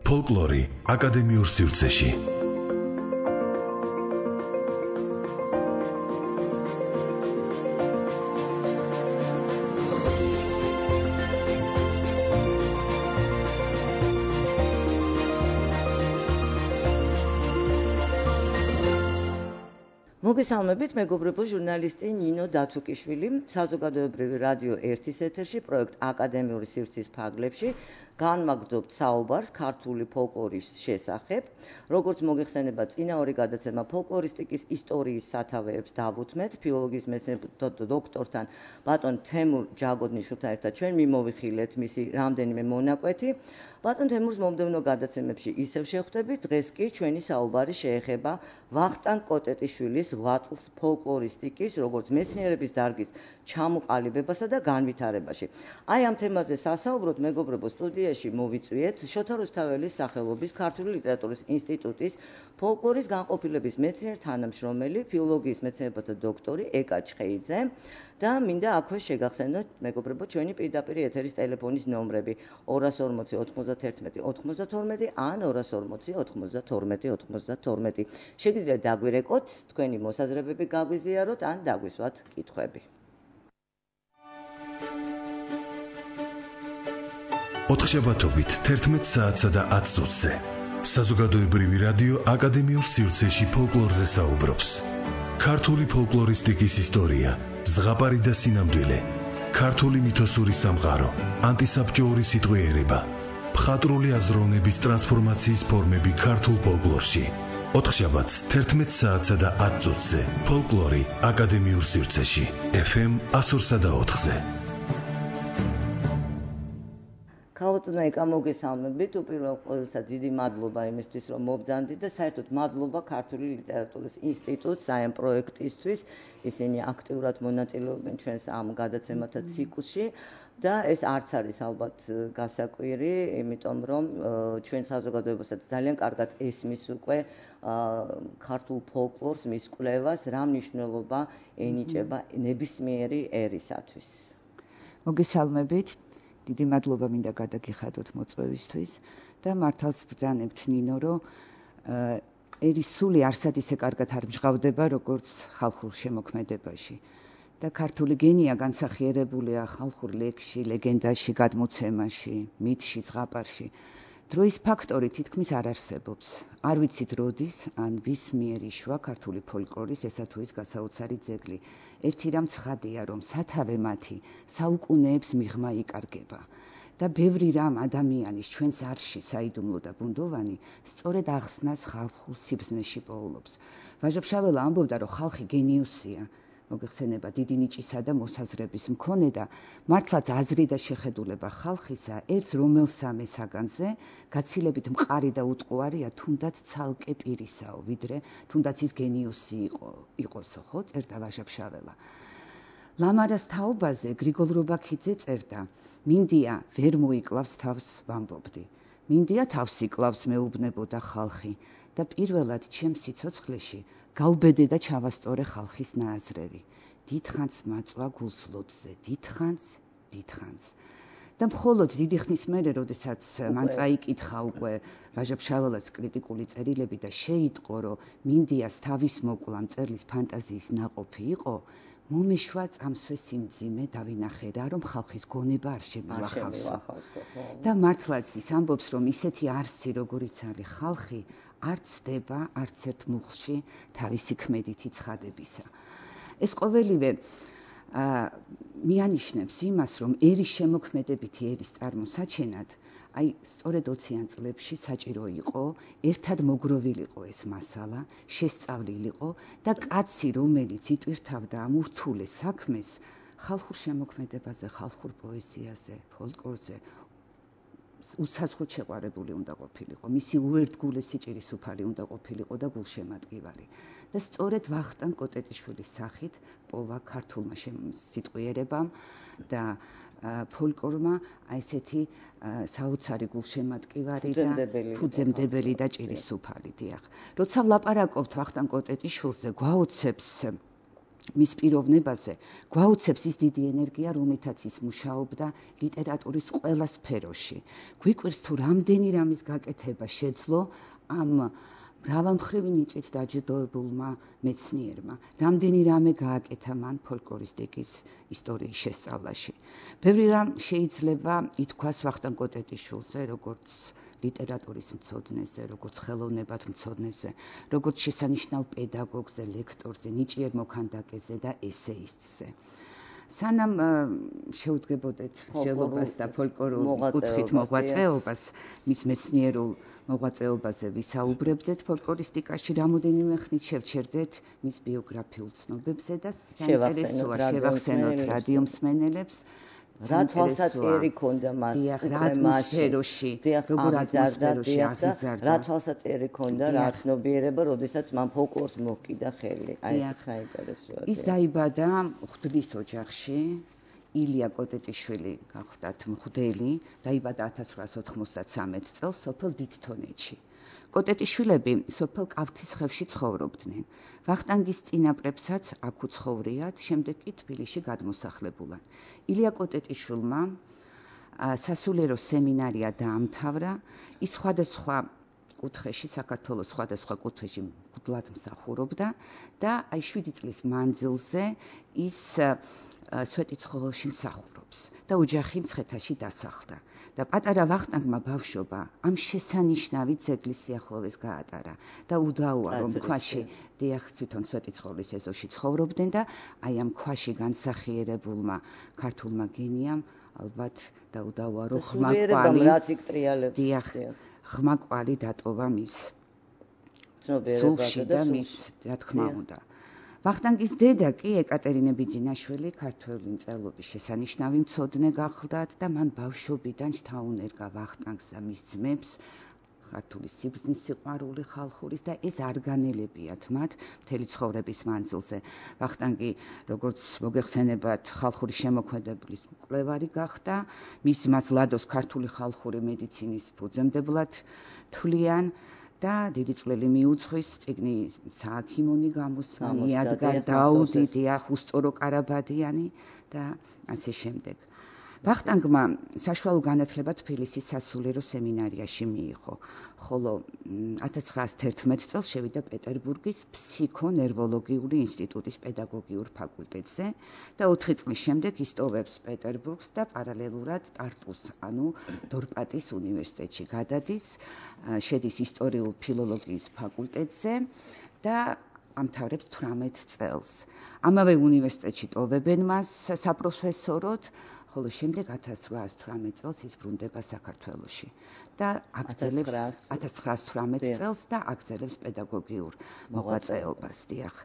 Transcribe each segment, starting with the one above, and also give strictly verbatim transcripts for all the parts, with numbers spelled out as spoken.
ფოლკლორი აკადემიურ სივრცეში. მოგესალმებით, მეგობრებო, ჟურნალისტი ნინო დათუკიშვილი, საზოგადოებრივი რადიო ერთის ეთერში, პროექტ აკადემიური სივრცის ფარგლებში განმაგრძობთ საუბარს ქართული ფოლკლორის შესახებ. როგორც მოგეხსენება, წინა ორი გადაცემა ფოლკლორისტიკის ისტორიის სათავეებს დავუთმეთ, ფილოლოგიის მეცნიერებათა დოქტორთან ბატონ თემურ ჯაგოდნიშვილთან ერთად ჩვენ მიმოვიხილეთ მისი რამდენიმე მონაკვეთი. ბატონ თემურს მომდევნო გადაცემებში ისევ შევხვდებით, დღეს კი ჩვენი საუბარი შეეხება ვახტანგ კოტეტიშვილის ღვაწლს ფოლკლორისტიკის, როგორც მეცნიერების დარგის ჩამოყალიბებასა და განვითარებაში. აი ამ თემაზე სასაუბროდ, მეგობრებო, სტუდიაში მოვიწვიეთ შოთა რუსთაველის სახელობის ქართული ლიტერატურის ინსტიტუტის ფოლკლორის განყოფილების მეცნიერ თანამშრომელი, ფილოლოგიის მეცნიერებათა დოქტორი ეკა ჩხეიძე და მინდა აქვე შეგახსენოთ, მეგობრებო, ჩვენი პირდაპირ ეთერის ტელეფონის ნომრები ორას ორმოცი ოთხმოცდათერთმეტი ოცდათორმეტი ან ორას ორმოცი ოთხმოცდათორმეტი ოცდათორმეტი. შეგიძლიათ დაგვირეკოთ, თქვენი მოსაზრებები გაგვიზიაროთ ან დაგვისვათ კითხვები. ოთხშაბათობით თერთმეტ საათსა და ათ წუთზე საზოგადოებრივი რადიო აკადემიურ სივრცეში ფოლკლორზე საუბრობს. ქართული ფოლკლორისტიკის ისტორია, ზღაპარი და სინამდვილე, ქართული მითოსური სამყარო, ანტისაბჭოური სიტყვიერება, მხატვრული აზროვნების ტრანსფორმაციის ფორმები ქართულ ფოლკლორში. ოთხშაბათს თერთმეტ საათსა და ათ წუთზე ფოლკლორი აკადემიურ სივრცეში, ეფ ემ ას ორსა და ოთხზე. ქაოტნა ეკა მოგესალმებით, უპირველე ყოვლისა დიდი მადლობა იმისთვის, რომ მობრძანდით და საერთოდ მადლობა ქართული ლიტერატურის ინსტიტუტს აი ამ პროექტისთვის. ისინი აქტიურად მონაწილეობენ ჩვენს ამ გადაცემათა ციკლში და ეს არც არის ალბათ გასაკვირი, იმიტომ რომ ჩვენ საზოგადოებასაც ძალიან კარგად ესმის უკვე ქართულ ფოლკლორს, მის კვლევას, რა მნიშვნელობა ენიჭება ნებისმიერი ერისათვის. მოგესალმებით. დიდი მადლობა მინდა გადაგიხადოთ მოწვევისთვის და მართალს ბრძანებთ ნინო, რომ ერის სული არსად ისე კარგად არ მჟღავდება, როგორც ხალხურ შემოქმედებაში. და ქართული გენია განსახიერებულია ხალხურ ლექსში, ლეგენდაში, გადმოცემაში, მითში, ზღაპარში. დროის ფაქტორი თითქმის არ არსებობს. არ ვიცით როდის ან ვის მიერ იშვა ქართული ფოლკლორის ესა თუ ის გასაოცარი ძეგლი. ერთი რამ ცხადია, რომ სათავე მათი საუკუნეებს მიღმა იკარგება. და ბევრი რამ ადამიანის ჩვენს არში საიდუმლო და ბუნდოვანი სწორედ ახსნას ხალხურ სიბზნეში პოულობს. ვაჟა-ფშაველა ამბობდა, რომ ხალხი გენიუსია. მოგეხსენება დიდი ნიჭისა და მოსაზრების მქონე და მართლაც აზრი და შეხედულება ხალხისა ერთს რომელსამე საგანზე გაცილებით მყარი და უტყუარია თუნდაც ცალკე პირისაო, ვიდრე თუნდაც ის გენიუსი იყო იყოსო, ხო, წერდა ვაჟა-ფშაველა. ლამარას თაობაზე გრიგოლ რობაქიძე წერდა: მინდია ვერ მოიკლავს თავს ვამბობდი. მინდია თავს იკლავს მეუბნებოდა ხალხი და პირველად ჩემს სიცოცხლეში გავბედე და ჩავასწორე ხალხის ნააზრევი. დიდხანს მაწვა გულსლოდზე, დიდხანს, დიდხანს. და მხოლოდ დიდი ხნის მერე, როდესაც მან წაიკითხა უკვე ვაჟა-ფშაველას კრიტიკული წერილები და შეიტყო, რომ მინდიას თავის მოკლა მწერლის ფანტაზიის ნაყოფი იყო, მომეშვა წამსვე სიმძიმე დავინახე რა, რომ ხალხის გონება არ შემილახავსო. და მართლაც ის ამბობს, რომ ისეთი არსი, როგორიც არის ხალხი, არ ცდება არც ერთ მუხლში თავისი ქმედითი ცხადებისა. ეს ყოველივე მიანიშნებს იმას, რომ ერის შემოქმედებითი ერის წარმოსაჩენად, აი სწორედ ოციან წლებში საჭირო იყო, ერთად მოგროვილიყო ეს მასალა, შესწავლილიყო და კაცი, რომელიც იტვირთავდა ამ ურთულეს საქმეს, ხალხურ შემოქმედებაზე, ხალხურ პოეზიაზე, ფოლკლორზე უსაზღვროდ შეყვარებული უნდა ყოფილიყო, მისი უერთგულესი ჭირისუფალი უნდა ყოფილიყო და გულშემატკივარი. და სწორედ ვახტანგ კოტეტიშვილის სახით პოვა ქართულმა სიტყვიერებამ და ფოლკლორმა აი ესეთი საოცარი გულშემატკივარი და ფუძემდებელი და ჭირისუფალი, დიახ. როცა ვლაპარაკობთ ვახტანგ კოტეტიშვილზე, გვაოცებს მის პიროვნებაზე გვაუცებს ის დიდი ენერგია, რომლითაც ის მუშაობდა ლიტერატურის ყველა სფეროში. გვიკვირს თუ რამდენი რამის გაკეთება შეძლო ამ მრავალმხრივი ნიჭით დაჯილდოებულმა მეცნიერმა, რამდენი რამე გააკეთა მან ფოლკლორისტიკის ისტორიის შესწავლაში. ბევრი რამ შეიძლება ითქვას ვახტანგ კოტეტიშვილზე, როგორც ლიტერატურის მცოდნეზე, როგორც ხელოვნებად მცოდნეზე, როგორც შესანიშნავ პედაგოგზე, ლექტორზე, ნიჭიერ მოქანდაკეზე და ესეისტზე. სანამ შევდგებოდეთ მსჯელობას და ფოლკლორულ კუთხით მოღვაწეობას, მის მეცნიერულ მოღვაწეობაზე ვისაუბრებდეთ ფოლკლორისტიკაში, რამოდენიმე ხნით შევჩერდეთ მის ბიოგრაფიულ ცნობებზე და საინტერესოა შევახსენოთ რადიო მსმენელებს. რა თვალსაჩინო ქონდა მას უკვე მასში, როგორ აზარდადი და რა თვალსაჩინო ქონდა, რა ცნობიერება, როდესაც მან ფოლკლორს მოჰკიდა ხელი. აი ეს საინტერესოა. ის დაიბადა მღვდლის ოჯახში. ილია კოტეტიშვილი გახლდათ მღვდელი, დაიბადა ათას ცხრაას ოთხმოცდათსამეტ წელს სოფელ დიდთონეთში. კოტეტიშვილები სოფელ კავთისხევში ცხოვრობდნენ. ვახტანგის წინაპრებსაც აქ უცხოვრიათ, შემდეგ კი თბილისში გადმოსახლებულან. ილია კოტეტიშვილმა სასულიერო სემინარია დაამთავრა, ის სხვადასხვა კუთხეში, საქართველოს სხვადასხვა კუთხეში მღვდლად მსახურობდა და აი შვიდი წლის მანძილზე ის სვეტიცხოველში მსახურობს და ოჯახი მცხეთაში დასახლდა. და პატარა ვახტანგმა ბავშვობა ამ შესანიშნავი ძეგლის სიახლოვეს გაატარა და უდაოა რომ ქვაში დიახ თვითონ სვეტიცხოვლის ეზოში ცხოვრობდნენ და აი ამ ქვაში განსახიერებულმა ქართულმა გენიამ ალბათ და უდაოა რომ ხმაკვალი დიახ ხმაკვალი დატოვა მის სულში და მის რა თქმა უნდა. ვახტანგის დედა კი ეკატერინე ბიძინაშვილი ქართველი მწერლობის შესანიშნავი მცოდნე გახლდათ და მან ბავშვობიდან შთაუნერგა ვახტანგს და მის ძმებს ქართული სიბრძნის სიყვარული ხალხურის და ეს არ განელებიათ მათ მთელი ცხოვრების მანძილზე. ვახტანგი როგორც მოგეხსენებათ ხალხური შემოქმედების მკვლევარი გახდა, მის ძმას ლადოს ქართული ხალხური მედიცინის ფუძემდებლად თვლიან და დიდი წვლილი მიუძღვის წიგნი სააქიმონი გამოსცა, იადგარ დაუდი, დიახ უსწორო კარაბადიანი და ასე შემდეგ. ვახტანგმა საშუალო განათლება თბილისის სასულიერო სემინარიაში მიიღო, ხოლო ათას ცხრაას თერთმეტ წელს შევიდა პეტერბურგის ფსიქონერვოლოგიური ინსტიტუტის პედაგოგიურ ფაკულტეტზე და ოთხი წლის შემდეგ ისტოვებს პეტერბურგს და პარალელურად ტარტუს, ანუ დორპატის უნივერსიტეტში გადადის, შედის ისტორიულ ფილოლოგიის ფაკულტეტზე და ამთავრებს თვრამეტ წელს. ამავე უნივერსიტეტში ტოვებენ მას საპროფესოროდ, ხოლო შემდეგ ათას ცხრაას თვრამეტ წელს ის ბრუნდება საქართველოში და აგრძელებს ათას ცხრაას თვრამეტ წელს და აგრძელებს პედაგოგიურ მოღვაწეობას, დიახ.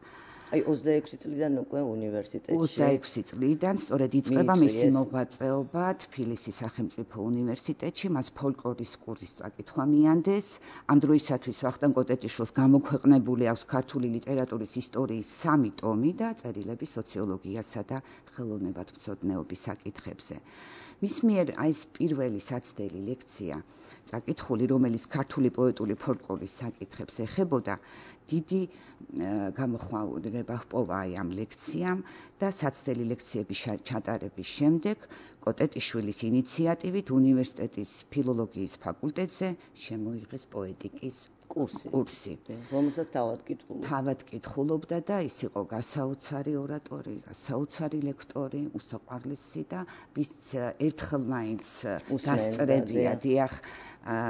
აი ოცდაექვსი წლიდან უკვე უნივერსიტეტში. ოცდაექვსი წლიდან სწორედ იწყება მისი მოღვაწეობა თბილისის სახელმწიფო უნივერსიტეტში, მას ფოლკლორის კურსის წაკითხვა მიანდეს. ამ დროისათვის ვახტანგ კოტეტიშვილს გამოქვეყნებული აქვს ქართული ლიტერატურის ისტორიის სამი ტომი და წერილები სოციოლოგიასა და ხელოვნებათმცოდნეობის საკითხებზე. მის მიერ აი ეს პირველი საცდელი ლექცია წაკითხული, რომელიც ქართული პოეტური ფოლკლორის საკითხებს ეხებოდა, დიდი გამოხმაურება ჰპოვა აი ამ ლექციამ და საცდელი ლექციების ჩატარების შემდეგ კოტეტიშვილის ინიციატივით უნივერსიტეტის ფილოლოგიის ფაკულტეტზე შემოიღეს პოეტიკის კურსი. კურსი, რომელსაც თავად კითხულობდა. თავად კითხულობდა და ის იყო გასაოცარი ორატორი, გასაოცარი ლექტორი, უსაყვარლესი და ვის ერთხელ მაინც დასწრებია, დიახ,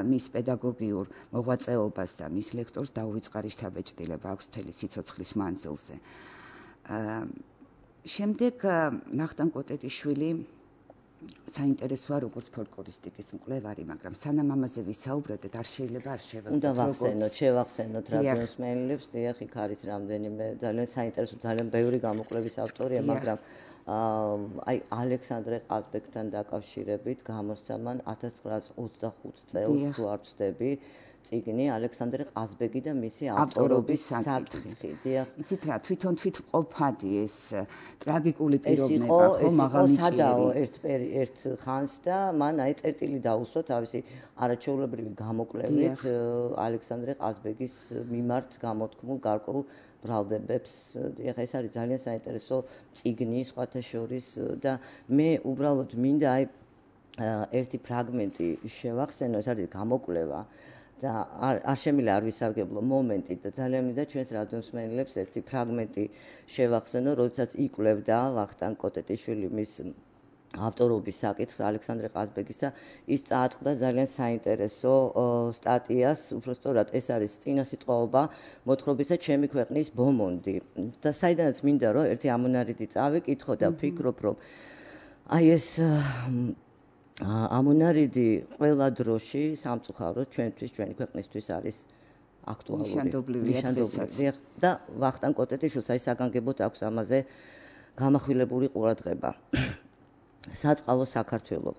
მის პედაგოგიურ მოღვაწეობას და მის ლექტორს დაუვიწყარი შთაბეჭდილება აქვს მთელი სიცოცხლის მანძილზე. შემდეგ ვახტანგ კოტეტიშვილი საინტერესოა როგორც ფოლკლორისტიკის მკვლევარი, მაგრამ სანამ ამაზე ვისაუბრებთ, არ შეიძლება არ შევეღოთ. უნდა ვახსენოთ, შევახსენოთ რადიოს მსმენელებს, დიახ, იქ არის რამდენიმე ძალიან საინტერესო, ძალიან ბევრი გამოკვლევის ავტორია, მაგრამ აი ალექსანდრე ყაზბეგთან დაკავშირებით გამოსცა მან ათას ცხრაას ოცდახუთ წელს თუ არ ვცდები, წიგნი ალექსანდრე ყაზბეგი და მისი ავტორობის საკითხი. დიახ. იცით რა, თვითონ თვითმყოფადი ეს ტრაგიკული პიროვნება, ხო, მაღალი ჭირი. სადაო ერთ ერთ ხანს და მან აი წერტილი დაუსვა თავისი არაჩვეულებრივი გამოკვლევით ალექსანდრე ყაზბეგის მიმართ გამოთქმულ გარკვეულ ბრალდებებს. დიახ, ეს არის ძალიან საინტერესო წიგნი სხვათა შორის და მე უბრალოდ მინდა აი ერთი ფრაგმენტი შევახსენო, ეს არის გამოკვლევა და არ შემიძლია არ ვისარგებლო მომენტით და ძალიან მინდა ჩვენს რადიოსმენელებს ერთი ფრაგმენტი შევახსენო, როდესაც იკვლევდა ვახტანგ კოტეტიშვილი მის ავტორობის საკითხს ალექსანდრე ყაზბეგისა, ის წააწყდა ძალიან საინტერესო სტატიას, უბრალოდ ეს არის წინასიტყვაობა მოთხრობისა ჩემი ქვეყნის ბომონდი და საიდანაც მინდა რომ ერთი ამონარიდი წავიკითხო და ვფიქრობ რომ აი ეს ამონარიდი ყველა დროში სამწუხაროდ ჩვენთვის ჩვენი ქვეყნისთვის არის აქტუალური ნიშანდობლივია და ვახტანგ კოტეტიშვილს აი საგანგებოდ აქვს ამაზე გამახვილებული ყურადღება. საწყალო საქართველო.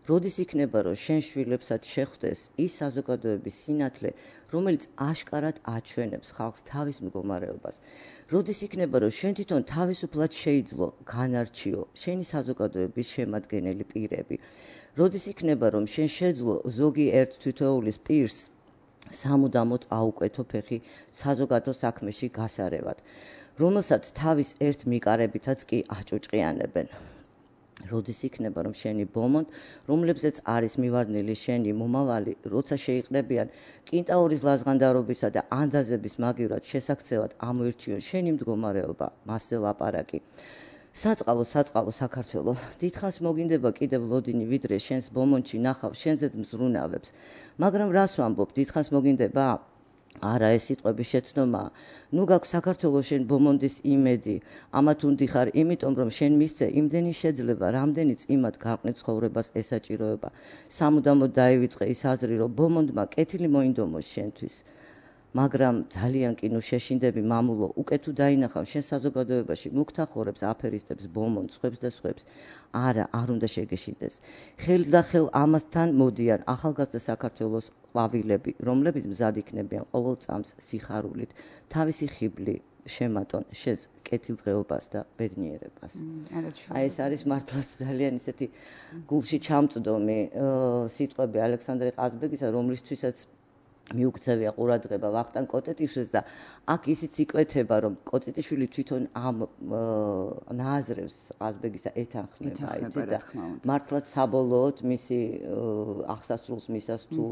როდის იქნება რომ შენ შვილებსაც შეხვდეს ის საზოგადოების სინათლე, რომელიც აშკარად აჩვენებს ხალხს თავის მდგომარეობას. როდის იქნება რომ შენ თვითონ თავისუფლად შეიძლო, განარჩიო შენი საზოგადოების შემადგენელი პირები. როდის იქნება რომ შენ შეძლო ზოგი ერთ თითოეულის პირს სამუდამოდ აუკვეთო ფეხი საზოგადო საქმეში გასარევად, რომელსაც თავის ერთ მიკარებითაც კი აჭუჭყიანებენ. როდის იქნება რომ შენი ბომონდ, რომლებზეც არის მივარდნილი შენი მომავალი, როცა შეიყრებიან კინტაურის ლაზღანდარობისა და ანდაზების მაგივრად შესაქცევად ამოირჩიონ შენი მდგომარეობა, მასზე ლაპარაკი. საწყალო საწყალო საქართველო, დიდხანს მოგინდება კიდევ ლოდინი ვიდრე შენს ბომონდში ნახავ შენზედ მზრუნავებს, მაგრამ რას ვამბობ, დიდხანს მოგინდება? არა, ეს სიტყვების შეცდომა. ნუ გაქვს საქართველოს შენ ბომონდის იმედი, ამათ უნდი ხარ, იმიტომ რომ შენ მისცე იმდენი შეძლება, რამდენიც იმათ გარყვნილ ცხოვრებას ესაჭიროება. სამუდამოდ დაივიწყე ის აზრი, რომ ბომონდმა კეთილი მოინდომოს შენთვის. მაგრამ ძალიან კი ნუ შეშინდები მამულო, უკეთ თუ დაინახავ შენ საზოგადოებაში მუქთახორებს, აფერისტებს, ბომონდს, ხვებს და სხვებს. არა, არ უნდა შეგეშინდეს. ხელ და ხელ ამასთან მოდიან ახალგაზრდა საქართველოს ყვავილები, რომლებიც მზად იქნებიან ყოველ წამს სიხარულით, თავისი ხიბლი შემატონ შენს კეთილდღეობას და ბედნიერებას. აი ეს არის მართლაც ძალიან ისეთი გულში ჩამწვდომი სიტყვები ალექსანდრე ყაზბეგისა, რომლისთვისაც მიუქცევია ყურადღება ვახტანგ კოტეტიშვილს და აქ ისიც იკვეთება, რომ კოტეტიშვილი თვითონ ამ ნააზრევს ყაზბეგისა ეთანხმება, იცით და მართლაც საბოლოოდ მისი აღსასრულს მისას თუ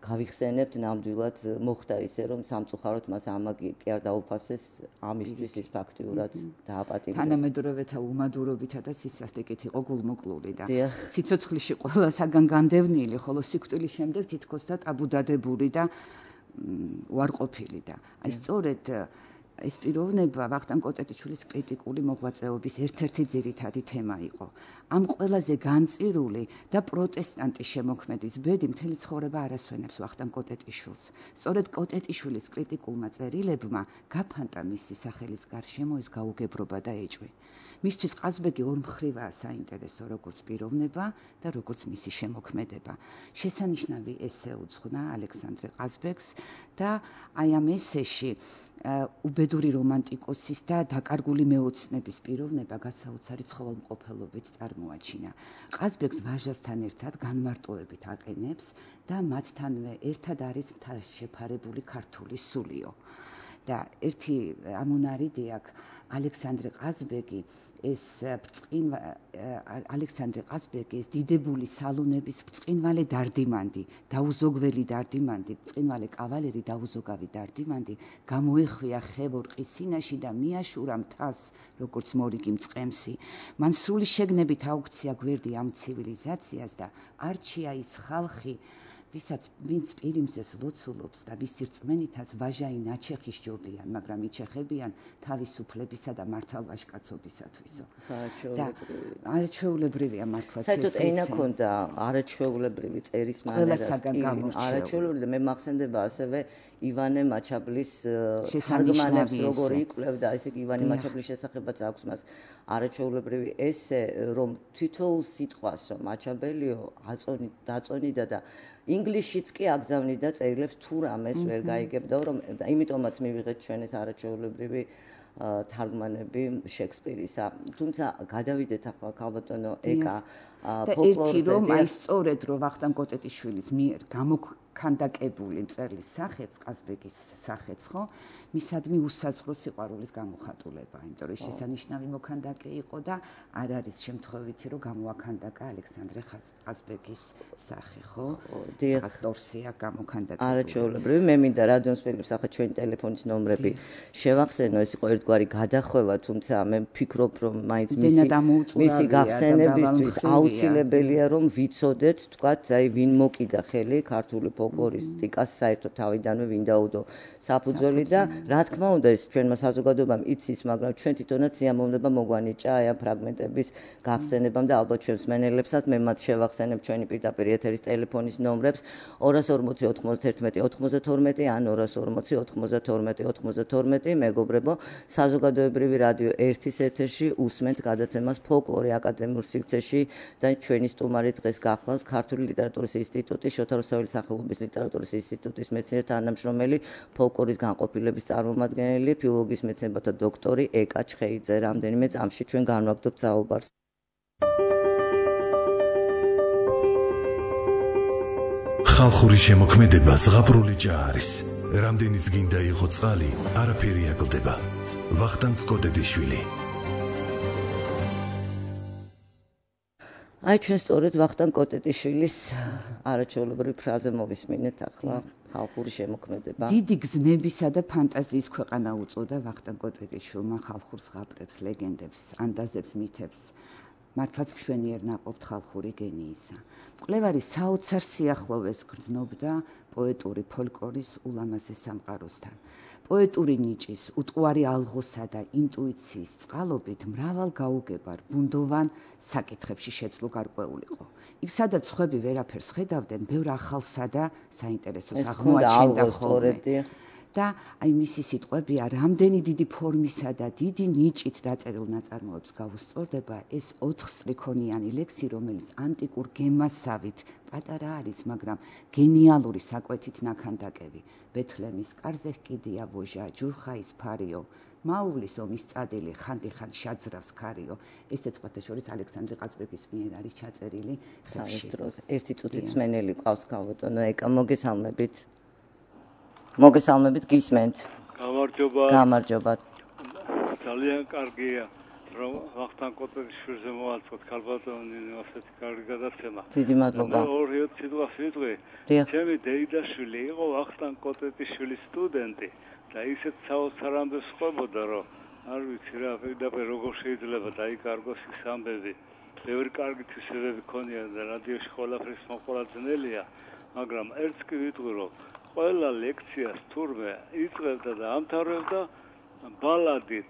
გავიხსენებთ, ნამდვილად მოხდა ისე, რომ სამწუხაროდ მას ამაგი კი არ დაუფასეს, ამისთვის ის ფაქტიურად დააპატიმრეს. თანამედროვეთა უმადურობითა და სისასტიკით იყო გულმოკლული და სიცოცხლეში ყველასაგან განდევნილი, ხოლო სიკვდილის შემდეგ თითქოს და ტაბუდადებული და უარყოფილი და აი სწორედ ეს პიროვნება ვახტანგ კოტეტიშვილის კრიტიკული მოღვაწეობის ერთ-ერთი ძირითადი თემა იყო. ამ ყველაზე განწირული და პროტესტანტი შემოქმედის ბედი მთელი ცხოვრება არ ასვენებს ვახტანგ კოტეტიშვილს. სწორედ კოტეტიშვილის კრიტიკულმა წერილებმა გაფანტა მისი სახელის გარშემო ეს გაუგებრობა და ეჭვი. მისთვის ყაზბეგი ორმხრივაა საინტერესო, როგორც პიროვნება და როგორც მისი შემოქმედება. შესანიშნავი ესე უძღვნა ალექსანდრე ყაზბეგს და აი ამ ესეში უბედური რომანტიკოსის და დაკარგული მეოცნების პიროვნება გასაოცარი ცხოველმყოფელობით წარმოაჩინა. ყაზბეგს ვაჟასთან ერთად განმარტოებით აყენებს და მათთანვე ერთად არის შეფარებული ქართული სულიო. და ერთი ამონარიდი აქვს ალექსანდრე ყაზბეგი ეს ბრწყინვა ალექსანდრე ყაზბეგი ეს დიდებული სალონების ბრწყინვალე დარდიმანდი, დაუზოგველი დარდიმანდი, ბრწყინვალე კავალერი დაუზოგავი დარდიმანდი გამოეხვია ხევორყის სინაში და მიაშურა მთას, როგორც მორიგი მწყემსი. მან სრული შეგნებით აუქცია გვერდი ამ ცივილიზაციას და არჩია ის ხალხი, ვისაც ვინც პირიმზეს ლოცულობს და ვისი რწმენითაც ვაჟაი ნაჩეხი სჯობიან, მაგრამ იჩეხებიან თავისუფლებისა და მართალვაჟკაცობისათვისო. და არაჩვეულებრივია მართლაც ეს. საერთოდ ენა ქონდა არაჩვეულებრივი წერის მანერა, არაჩვეულებრივი და მე მახსენდება ასევე ივანე მაჩაბლის თარგმანებს როგორ იკვლევდა, ესე იგი ივანე მაჩაბლის შესახებაც აქვს მას არაჩვეულებრივი ესე, რომ თითოეულ სიტყვას რომ აჩაბელიო აწონი დაწონიდა და ინგლისშიც კი აგზავნიდა წერილებს თუ რამეს ვერ გაიგებდა, რომ იმიტომაც მივიღეთ ჩვენ ეს არაჩვეულებრივი თარგმანები შექსპირისა. თუმცა გადავიდეთ ახლა ქალბატონო ეკა ფოლკლორზე. და ერთი რომ აი სწორედ რომ ვახტანგ კოტეტიშვილის მიერ გამოქანდაკებული მწერლის სახეც, ყაზბეგის სახეც, ხო? მისადმი უსაზღვრო სიყვარულის გამოხატულება, იმიტომ რომ შესანიშნავი მოქანდაკე იყო და არ არის შემთხვევითი რომ გამოაქანდაკა ალექსანდრე ყაზბეგის სახე, ხო? დიახ, დორსია გამოქანდაკებული. არაჩვეულებრივი, მე მინდა რადიოსმენელებს ახლა ჩვენი ტელეფონის ნომრები შევახსენო, ეს იყო ერთგვარი გადახვევა, თუმცა მე ვფიქრობ, რომ მაინც მისი მისი გახსენებისთვის აუცილებელია რომ ვიცოდეთ, თქვათ, აი ვინ მოკიდა ხელი ქართული ფოლკლორისტიკას საერთოდ თავიდანვე ვინ დაუდო საფუძველი და რა თქმა უნდა ეს ჩვენმა საზოგადოებამ იცის, მაგრამ ჩვენ თვითონაც სიამოვნება მოგვანიჭა აი ამ ფრაგმენტების გახსენებამ და ალბათ ჩვენს მენელებსაც მე მათ შევახსენებ ჩვენი პირდაპირ ეთერის ტელეფონის ნომრებს ორას ორმოცი ოთხმოცდაერთმეტი ოცდათორმეტი ან ორას ორმოცი ოთხმოცდათორმეტი ოცდათორმეტი მეგობრებო საზოგადოებრივი რადიო ერთის ეთერში უსმენთ გადაცემას ფოლკლორი აკადემიურ სივრცეში და ჩვენი სტუმარი დღეს გახლავთ ქართული ლიტერატურის ინსტიტუტის შოთა რუსთაველის სახელობის ლიტერატურის ინსტიტუტის მეცნიერ თანამშრომელი ფოლკლორის განყოფილების წარმომადგენელი ფილოლოგიის მეცნიერებათა დოქტორი ეკა ჩხეიძე. რამდენიმე წამში ჩვენ განვაგრძობთ საუბარს. ხალხური შემოქმედება ზღაპრული ჭა არის. რამდენიც გინდა იყო წყალი, არაფერი აკლდება. ვახტანგ კოტეტიშვილი. აი ჩვენ სწორედ ვახტანგ კოტეტიშვილის არაჩვეულებრივი ფრაზე მოვისმინეთ ახლა ხალხური შემოქმედება. დიდი გზნებისა და ფანტაზიის ქვეყანა უწოდა ვახტანგ კოტეტიშვილმა ხალხურ ზღაპრებს, ლეგენდებს, ანდაზებს, მითებს. მართლაც მშვენიერ ნაყოფთ ხალხური გენიისა. მკვლევარი საოცარ სიახლოვეს გრძნობდა პოეტური ფოლკლორის ულამაზეს სამყაროსთან. პოეტური ნიჭის, უტყუარი ალღოსა და ინტუიციის წყალობით მრავალ გაუგებარ, ბუნდოვან საკითხებში შეძლო გარკვეულიყო. იქ სადაც სხვები ვერაფერს ხედავდნენ, ბევრ ახალსა და საინტერესოს აღმოაჩენდა ხოლმე. და აი მისი სიტყვებია რამდენი დიდი ფორმისა და დიდი ნიჭით დაწერილ ნაწარმოებს გავუსწორდება ეს ოთხსტრიქონიანი ლექსი, რომელიც ანტიკურ გემასავით პატარა არის, მაგრამ გენიალური საკვეთით ნაქანდაკები. ბეთლემის კარზე ჰკიდია ვოჟა, ჯურხაის ფარიო, მაუვლის ომის წადილი, ხანდიხან შაძრავს ქარიო. ეს ეწყვეთა შორის ალექსანდრე ყაზბეგის მიერ არის ჩაწერილი ხევში. ერთი წუთით მსმენელი ყავს ქალბატონო ეკა, მოგესალმებით. მოგესალმებით, გისმენთ. გამარჯობა. გამარჯობა. ძალიან კარგია, რომ ვახტანგ კოტეტიშვილზე მოვაწყოთ ქალბატონო ასეთი კარგი გადაცემა. დიდი მადლობა. ორი სიტყვა ვიტყვი. ჩემი დეიდაშვილი იყო ვახტანგ კოტეტიშვილის სტუდენტი და ისეთ საოცარ ამბებს ყვებოდა, რომ არ ვიცი რა, პირდაპირ როგორ შეიძლება დაიკარგოს ის ამბები. ბევრი კარგი თვისებები ქონია და რადიოში ყველაფრის მოყოლა ძნელია, მაგრამ ერთს კი ვიტყვი, რომ ყველა ლექციას თურმე იწყებდა და ამთავრებდა ბალადით,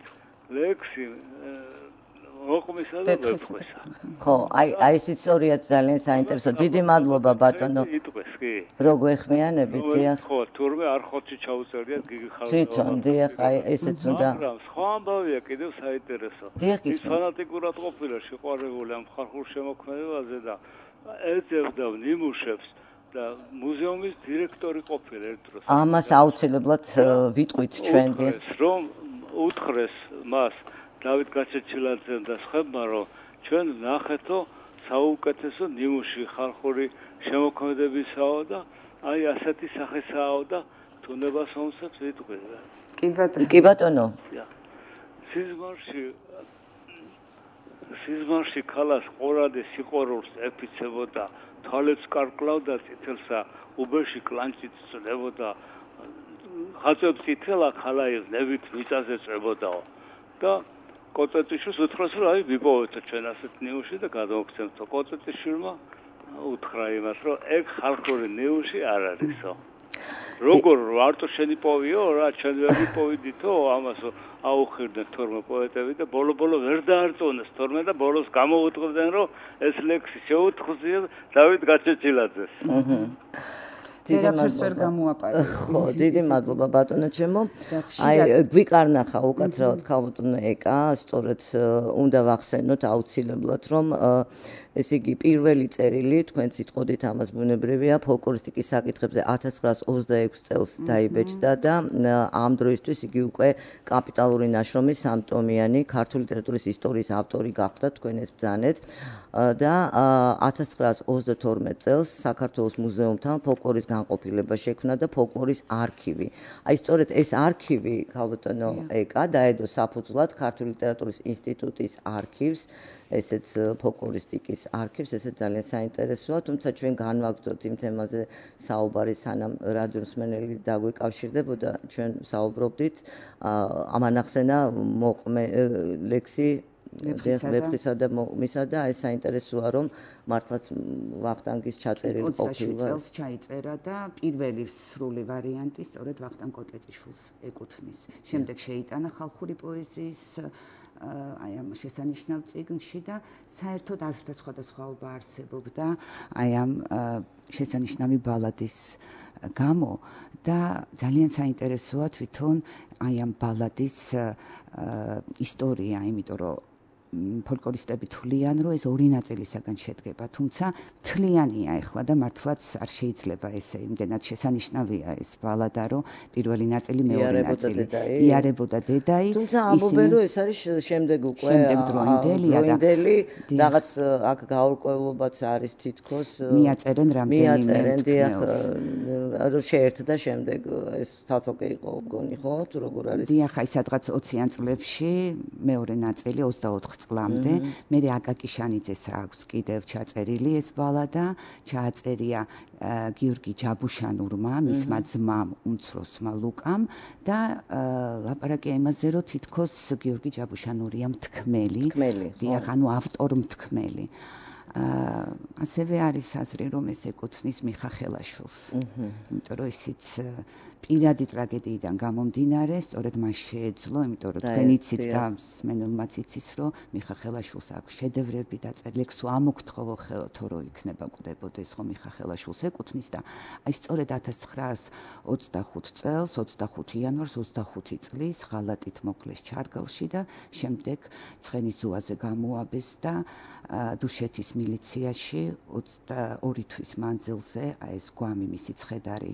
ლექსი მოყმისა და ვეფხვისა. ხო, აი აი ეს ისტორიაც ძალიან საინტერესო. დიდი მადლობა ბატონო. იტყვეს კი. რო გვეხმიანებით, დიახ. ხო, თურმე არ ხოთში ჩაუწერიათ გიგი ხალხო. თვითონ, დიახ, აი ესეც უნდა. მაგრამ სხვა ამბავია კიდევ საინტერესო. ის ფანატიკურად ყოფილა შეყვარებული ამ ხალხურ შემოქმედებაზე და ეძებდა ნიმუშებს. და მუზეუმის დირექტორი ყოფილა ერთ დროს. ამას აუცილებლად ვიტყვით ჩვენ დიახ. რომ უთხრეს მას დავით გაჩეჩილაძემ და სხვებმა, რომ ჩვენ ნახეთო საუკეთესო ნიმუში ხალხური შემოქმედებისაო და აი ასეთი სახესაო და თუნებას ომსაც ვიტყვი. კი ბატონო. კი ბატონო. სიზმარში სიზმარში ქალას ყორადი სიყვარულს ეფიცებოდა. თვალებს კარკლავდა წითელსა, უბერში კლანჭით წლებოდა, ხაწებს წითელა ხალაის ნებით მიწაზე წვებოდაო. და კოტეტიშვილს უთხრეს, რომ აი ვიპოვეთო ჩვენ ასეთ ნიმუში და გადავაქცევთო. კოტეტიშვილმა უთხრა იმას, რომ ეგ ხალხური ნიმუში არ არისო. როგორ ვარტო შენი პოვიო რა, ჩვენ ვერ ვიპოვიდითო, ამას აუხირდნენ თორმე პოეტები და ბოლო-ბოლო ვერ დაარწმუნეს თორმე და ბოლოს გამოუწყდნენ, რომ ეს ლექსი შეუთხზია დავით გაჩეჩილაძეს. ვერაფერს ვერ გამოაპარე. ხო, დიდი მადლობა ბატონო ჩემო. აი გვიკარნახა უკაცრავად ქალბატონო ეკა, სწორედ უნდა ვახსენოთ აუცილებლად რომ ესე იგი პირველი წერილი თქვენ სიტყოდით ამას ბუნებრივია ფოლკლორისტიკის საკითხებზე ათას ცხრაას ოცდაექვსი წელს დაიბეჭდა და ამ დროისთვის იგი უკვე კაპიტალური ნაშრომის სამტომიანი ქართული ლიტერატურის ისტორიის ავტორი გახდა თქვენ ეს ბრძანეთ და ათას ცხრაას ოცდათორმეტ წელს საქართველოს მუზეუმთან ფოლკლორის განყოფილება შექმნა და ფოლკლორის არქივი. აი სწორედ ეს არქივი ქალბატონო ეკა დაედო საფუძვლად ქართული ლიტერატურის ინსტიტუტის არქივს ესეც ფოლკლორისტიკის არქივს, ესეც ძალიან საინტერესოა, თუმცა ჩვენ განვაგრძოთ იმ თემაზე საუბარი, სანამ რადიო მსმენელი დაგვეკავშირდებოდა, ჩვენ საუბრობდით ამან ახსენა მოყმე ლექსი ვეფხისა და მოყმისა და ეს საინტერესოა, რომ მართლაც ვახტანგის ჩაწერილი ყოფილა. ოცდაშვიდ წელს ჩაიწერა და პირველი სრული ვარიანტი სწორედ ვახტანგ კოტეტიშვილს ეკუთვნის. შემდეგ შეიტანა ხალხური პოეზიის აი ამ შესანიშნავ წიგნში და საერთოდ აზრთა სხვადასხვაობა არსებობდა აი ამ შესანიშნავი ბალადის გამო და ძალიან საინტერესოა თვითონ აი ამ ბალადის ისტორია, იმიტომ რომ ფოლკლორისტები თვლიან, რომ ეს ორი ნაწილისაგან შედგება, თუმცა მთლიანია ახლა და მართლაც არ შეიძლება ესე იმდენად შესანიშნავია ეს ბალადა, რომ პირველი ნაწილი, მეორე ნაწილი იარებოდა დედაი. თუმცა ამბობენ, რომ ეს არის შემდეგ უკვე შემდეგდროინდელია და რაღაც აქ გაურკვევლობაც არის თითქოს მიაწერენ რამდენიმე მიაწერენ დიახ რომ შეერთდა შემდეგ ეს თალთალკე იყო მგონი ხო თუ როგორ არის დიახ აი სადღაც ოციან წლებში მეორე ნაწილი ოცდაოთხ წლამდე მე აკაკი შანიძეს აქვს კიდევ ჩაწერილი ეს ბალადა ჩააწერია გიორგი ჯაბუშანურმა მისმა ძმამ უმცროსმა ლუკამ და ლაპარაკია იმაზე რომ თითქოს გიორგი ჯაბუშანურია მთქმელი დიახ ანუ ავტორ მთქმელი ასევე არის აზრი რომ ეს ეკუთვნის მიხა ხელაშვილს იმიტომ რომ ისიც პირადი ტრაგედიიდან გამომდინარე სწორედ მას შეეძლო იმიტომ რომ თქვენ იცით და მსმენელმაც იცის რომ მიხა ხელაშვილს აქვს შედევრები დაწერილი ლექსო ამოგთხოვო ხელოთო რომ იქნება კვდებოდეს რომ მიხა ხელაშვილს ეკუთვნის და აი სწორედ ათას ცხრაას ოცდახუთ წელს ოცდახუთი იანვარს ოცდახუთი წლის ღალატით მოკლეს ჩარგალში და შემდეგ ცხენის ზუაზე გამოაბეს და დუშეთის მილიციაში ოცდაორი თვის მანძილზე აი ეს გვამი მისი ცხედარი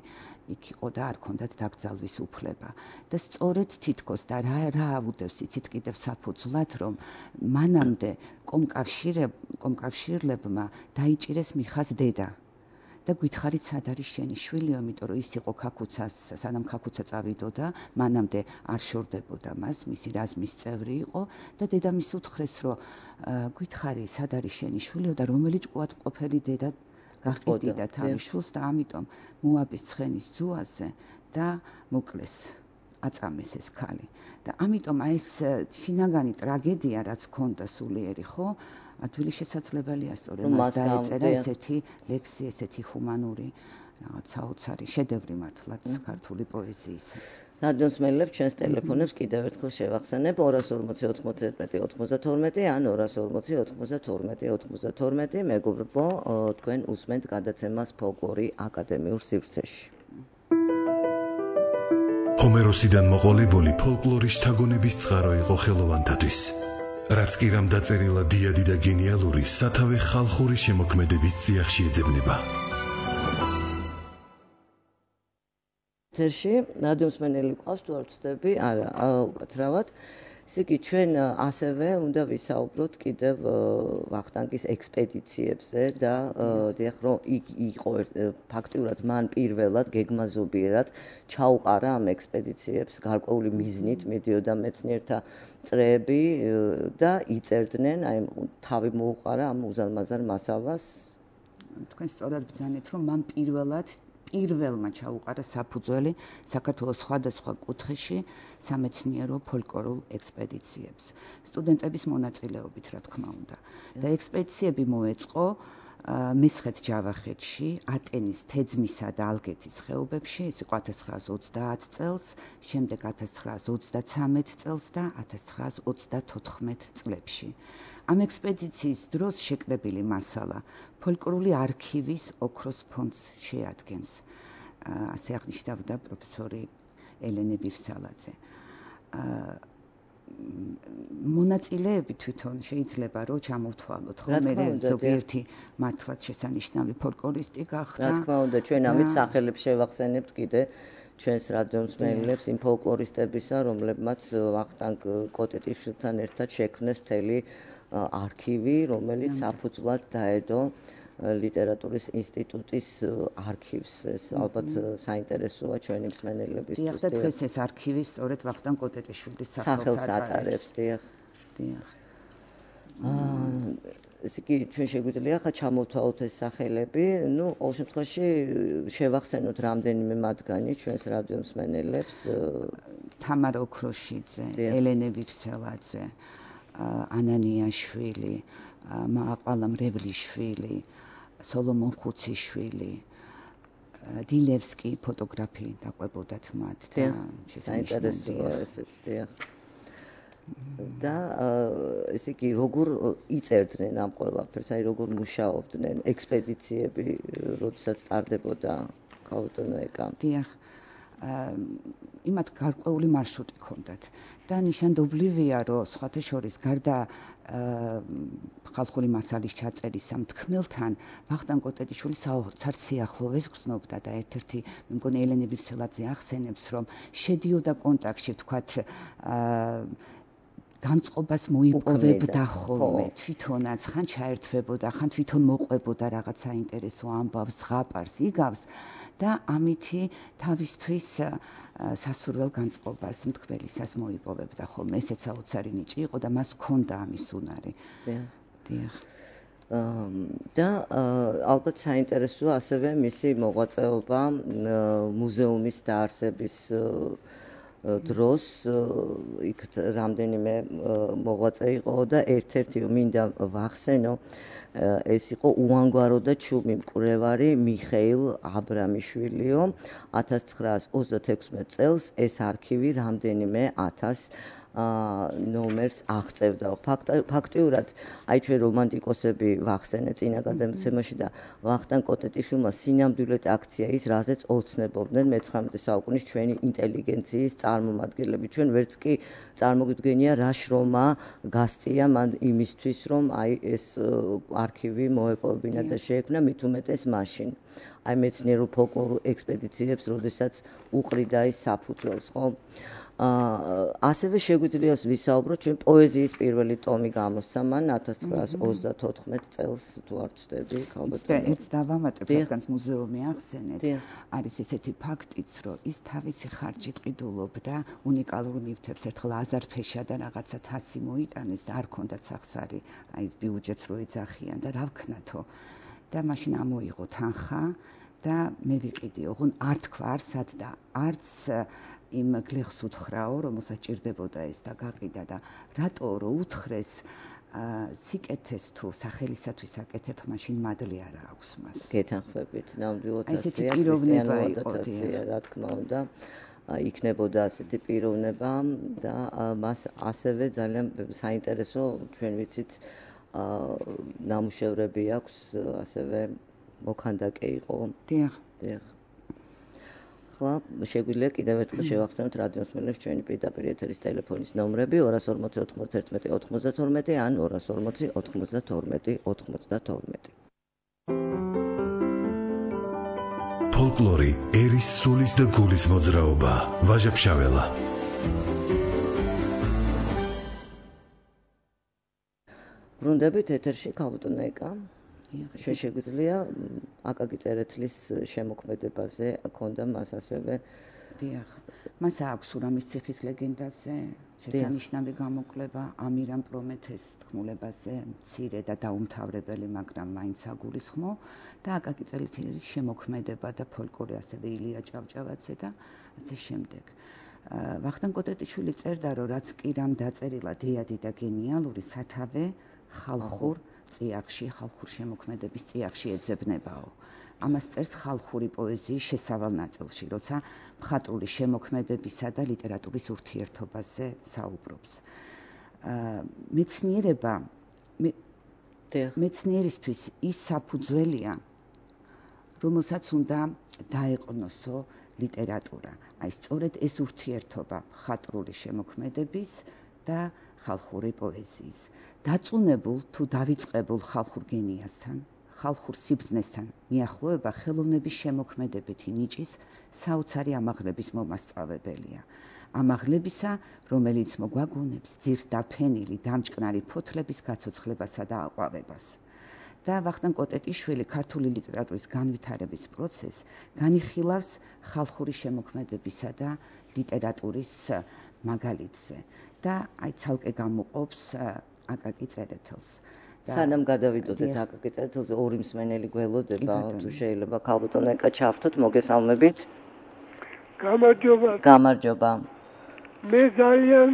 იქ იყო და არ ქონდათ დაკრძალვის უფლება და სწორედ თითქოს და რა რა აუდევს იცით კიდევ საფუძვლად რომ მანამდე კომკავშირებ კომკავშირლებმა დაიჭირეს მიხას დედა და გითხარით სად არის შენი შვილი, იმიტომ რომ ის იყო ქაქუცას, სანამ ქაქუცა წავიდოდა, მანამდე არ შორდებოდა მას, მისი რაზმის წევრი იყო და დედამის უთხრეს, რომ გითხარი სად არის შენი შვილი და რომელი ჭკუად მყოფელი დედა გაყიდდა თავის შვილს და ამიტომ მოაბეს ცხენის ზუაზე და მოკლეს აწამეს ეს ქალი. და ამიტომ აი ეს შინაგანი ტრაგედია რაც ქონდა სულიერი, ხო? ადვილი შესაძლებელია სწორედ მას დაეწერა ესეთი ლექსი, ესეთი ჰუმანური რაღაც საოცარი შედევრი მართლაც ქართული პოეზიის. ნადმოსმენელებს ჩვენს ტელეფონებს კიდევ ერთხელ შევახსენებ ორას ორმოცი ოთხმოცდაერთმეტი ოცდათორმეტი ან ორას ორმოცი ოთხმოცდათორმეტი ოცდათორმეტი მეგობრებო თქვენ უსმენთ გადაცემას ფოლკლორი აკადემიურ სივრცეში. ჰომეროსიდან მოყოლებული ფოლკლორის შთაგონების წყარო იყო ხელოვანთათვის. რაც კი რამ დაწერილა დიადი და გენიალური სათავე ხალხური შემოქმედების წიაღში ეძებნება. თერში ნადმოსმენელი ყავს თუ არ ვწდები? არა, უკაცრავად. ესე იგი ჩვენ ასევე უნდა ვისაუბროთ კიდევ ვახტანგის ექსპედიციებზე და დიახ რომ იყო ფაქტიურად მან პირველად გეგმაზობიერად ჩაუყარა ამ ექსპედიციებს გარკვეული მიზნით მიდიოდა მეცნიერთა წრეები და იწერდნენ აი თავი მოუყარა ამ უზარმაზარ მასალას. თქვენ სწორად ბრძანეთ რომ მან პირველად პირველმა ჩაუყარა საფუძველი საქართველოს სხვადასხვა კუთხეში სამეცნიერო ფოლკლორულ ექსპედიციებს. სტუდენტების მონაწილეობით, რა თქმა უნდა. და ექსპედიციები მოეწყო მესხეთ ჯავახეთში, ატენის, თეძმისა და ალგეთის ხეობებში, ეს იყო ათას ცხრაას ოცდაათ წელს, შემდეგ ათას ცხრაას ოცდაცამეტ წელს და ათას ცხრაას ოცდათოთხმეტ წლებში. ამ ექსპედიციის დროს შეკრებილი მასალა ფოლკლორული არქივის ოქროს ფონდს შეადგენს. ასე აღნიშნავდა პროფესორი ელენე ბირსალაძე. მონაწილეები თვითონ შეიძლება რომ ჩამოვთვალოთ, ხო მე ზოგიერთი მართლაც შესანიშნავი ფოლკლორისტი გახდა. რა თქმა უნდა, ჩვენ ამით სახელებს შევახსენებთ კიდე ჩვენს რადიომსმენელებს იმ ფოლკლორისტებისა, რომლებმაც ვახტანგ კოტეტიშვილთან ერთად შექმნეს მთელი არქივი, რომელიც საფუძვლად დაედო ლიტერატურის ინსტიტუტის არქივს. ეს ალბათ საინტერესოა ჩვენი მსმენელებისთვის. დიახ, და დღეს ეს არქივი სწორედ ვახტანგ კოტეტიშვილის სახელს ატარებს. დიახ. დიახ. ესე იგი ჩვენ შეგვიძლია ხა ჩამოვთვალოთ ეს სახელები, ну, ყოველ შემთხვევაში შევახსენოთ რამდენიმე მათგანი ჩვენს რადიომსმენელებს. თამარა ოქროშიძე, ელენე ვირსელაძე, ანანიაშვილი, მაყალა მრევლიშვილი, სოლომონ ხუციშვილი, დილევსკი ფოტოგრაფი დაყვებოდათ მათ და შესანიშნავია ესეც დიახ. და ესე იგი როგორ იწერდნენ ამ ყველაფერს, აი როგორ მუშაობდნენ ექსპედიციები, როდესაც ტარდებოდა ქალბატონოეკა. დიახ. იმათ გარკვეული მარშრუტი ჰქონდათ და ნიშანდობლივია, რომ სხვათა შორის გარდა ხალხური მასალის ჩაწერისა მთქმელთან ვახტანგ კოტეტიშვილი საოცარ სიახლოვეს გრძნობდა და ერთ-ერთი მე მგონი ელენე ბირსელაძე ახსენებს, რომ შედიოდა კონტაქტში, თქვათ განწყობას მოიპოვებდა ხოლმე თვითონაც, ხან ჩაერთვებოდა, ხან თვითონ მოყვებოდა რაღაც საინტერესო ამბავს, ზღაპარს, იგავს და ამითი თავისთვის სასურველ განწყობას მთქმელისას მოიპოვებდა ხოლმე. ესეც საოცარი ნიჭი იყო და მას ჰქონდა ამის უნარი. დიახ. და ალბათ საინტერესოა ასევე მისი მოღვაწეობა მუზეუმის დაარსების დროს იქ რამდენიმე მოღვაწე იყო და ერთ-ერთი მინდა ვახსენო, ეს იყო უანგარო და ჩუმი მკვლევარი მიხეილ აბრამიშვილიო. ათას ცხრაას ოცდათექვსმეტ წელს ეს არქივი რამდენიმე ათას ნომერს აღწევდა. ფაქტიურად, აი ჩვენ რომანტიკოსები ვახსენეთ წინა გადაცემაში და ვახტანგ კოტეტიშვილმა სინამდვილედ აქცია ის, რაზეც ოცნებობდნენ მეცხრამეტე საუკუნის ჩვენი ინტელიგენციის წარმომადგენლები. ჩვენ ვერც კი წარმოგიდგენია რა შრომა გასწია მან იმისთვის, რომ აი ეს არქივი მოეპოვებინა და შეექმნა, მით უმეტეს მაშინ. აი მეცნიერულ ფოლკლორულ ექსპედიციებს, როდესაც უყრიდა ის საფუძველს, ხო? ასევე შეგვიძლია ვისაუბროთ ჩვენ პოეზიის პირველი ტომი გამოსცა მან ათას ცხრაას ოცდათოთხმეტ წელს, თუ არ ვცდები, ქალბატონო. ერთ დავამატებ, რადგანაც მუზეუმი ახსენეთ, არის ესეთი ფაქტიც, რომ ის თავისი ხარჯით ყიდულობდა უნიკალურ ნივთებს. ერთხელ აზარფეშა და რაღაცა თასი მოიტანეს და არ ჰქონდათ სახსარი, აი ეს ბიუჯეტს რო ეძახიან და რა ვქნათო. და მაშინ ამოიღო თანხა და მე ვიყიდი, ოღონ არ თქვა არსად და არც იმ გლეხს უთხრაო, რომელსაც ჭირდებოდა ეს და გაყიდა და რატო რო უთხრეს სიკეთეს თუ სახელისათვის აკეთებ, მაშინ მადლი არ აქვს მას. გეთანხმებით, ნამდვილად ასეა. ესეთი პიროვნება იყო, რა თქმა უნდა. იქნებოდა ასეთი პიროვნება და მას ასევე ძალიან საინტერესო, ჩვენ ვიცით, ნამუშევრები აქვს, ასევე მოქანდაკე იყო. დიახ. დიახ. ახლა შეგვიძლია კიდევ ერთხელ შევახსენოთ რადიოსმენელებს ჩვენი პირდაპირ ეთერის ტელეფონის ნომრები ორას ორმოცი ოთხმოცდაერთმეტი ოთხმოცდათორმეტი ან ორას ორმოცი ოთხმოცდათორმეტი ოთხმოცდათორმეტი. ფოლკლორი ერის სულის და გულის მოძრაობა. ვაჟა-ფშაველა. ბრუნდებით ეთერში ქალბატონოეკა. ჩვენ შეგვიძლია აკაკი წერეთლის შემოქმედებაზე ჰქონდა მას ასევე. დიახ. მას აქვს ურამის ციხის ლეგენდაზე შესანიშნავი გამოკვლევა, ამირამ პრომეთეს თქმულებაზე, მცირე და დაუმთავრებელი, მაგრამ მაინც საგულისხმო და აკაკი წერეთლის შემოქმედება და ფოლკლორი, ასევე ილია ჭავჭავაძე და ასე შემდეგ. ვახტანგ კოტეტიშვილი წერდა, რომ რაც კი რამ დაწერილა დიადი და გენიალური, სათავე ხალხურ წიაღში, ხალხურ შემოქმედების წიაღში ეძებნებაო. ამას წერს ხალხური პოეზიის შესავალ ნაწილში, როცა მხატვრული შემოქმედებისა და ლიტერატურის ურთიერთობაზე საუბრობს. მეცნიერება მეცნიერისთვის ის საფუძველია, რომელსაც უნდა დაეყნოსო ლიტერატურა. აი სწორედ ეს ურთიერთობა ხატრული შემოქმედების და ხალხური პოეზიის. დაწუნებულ თუ დავიწყებულ ხალხურ გენიასთან, ხალხურ სიბრძნესთან მიახლოება ხელოვნების შემოქმედებითი ნიჭის საოცარი ამაღლების მომასწავებელია. ამაღლებისა, რომელიც მოგვაგონებს ძირს დაფენილი დამჭკნარი ფოთლების გაცოცხლებასა და აყვავებას. და ვახტანგ კოტეტიშვილი ქართული ლიტერატურის განვითარების პროცესს განიხილავს ხალხური შემოქმედებისა და ლიტერატურის მაგალითზე და აი ცალკე გამოყოფს აკაკი წერეთელს. სანამ გადავიდოდეთ აკაკი წერეთელზე ორი მსმენელი გველოდება, თუ შეიძლება ქალბატონ ეკა ჩავთოთ, მოგესალმებით. გამარჯობა. გამარჯობა. მე ძალიან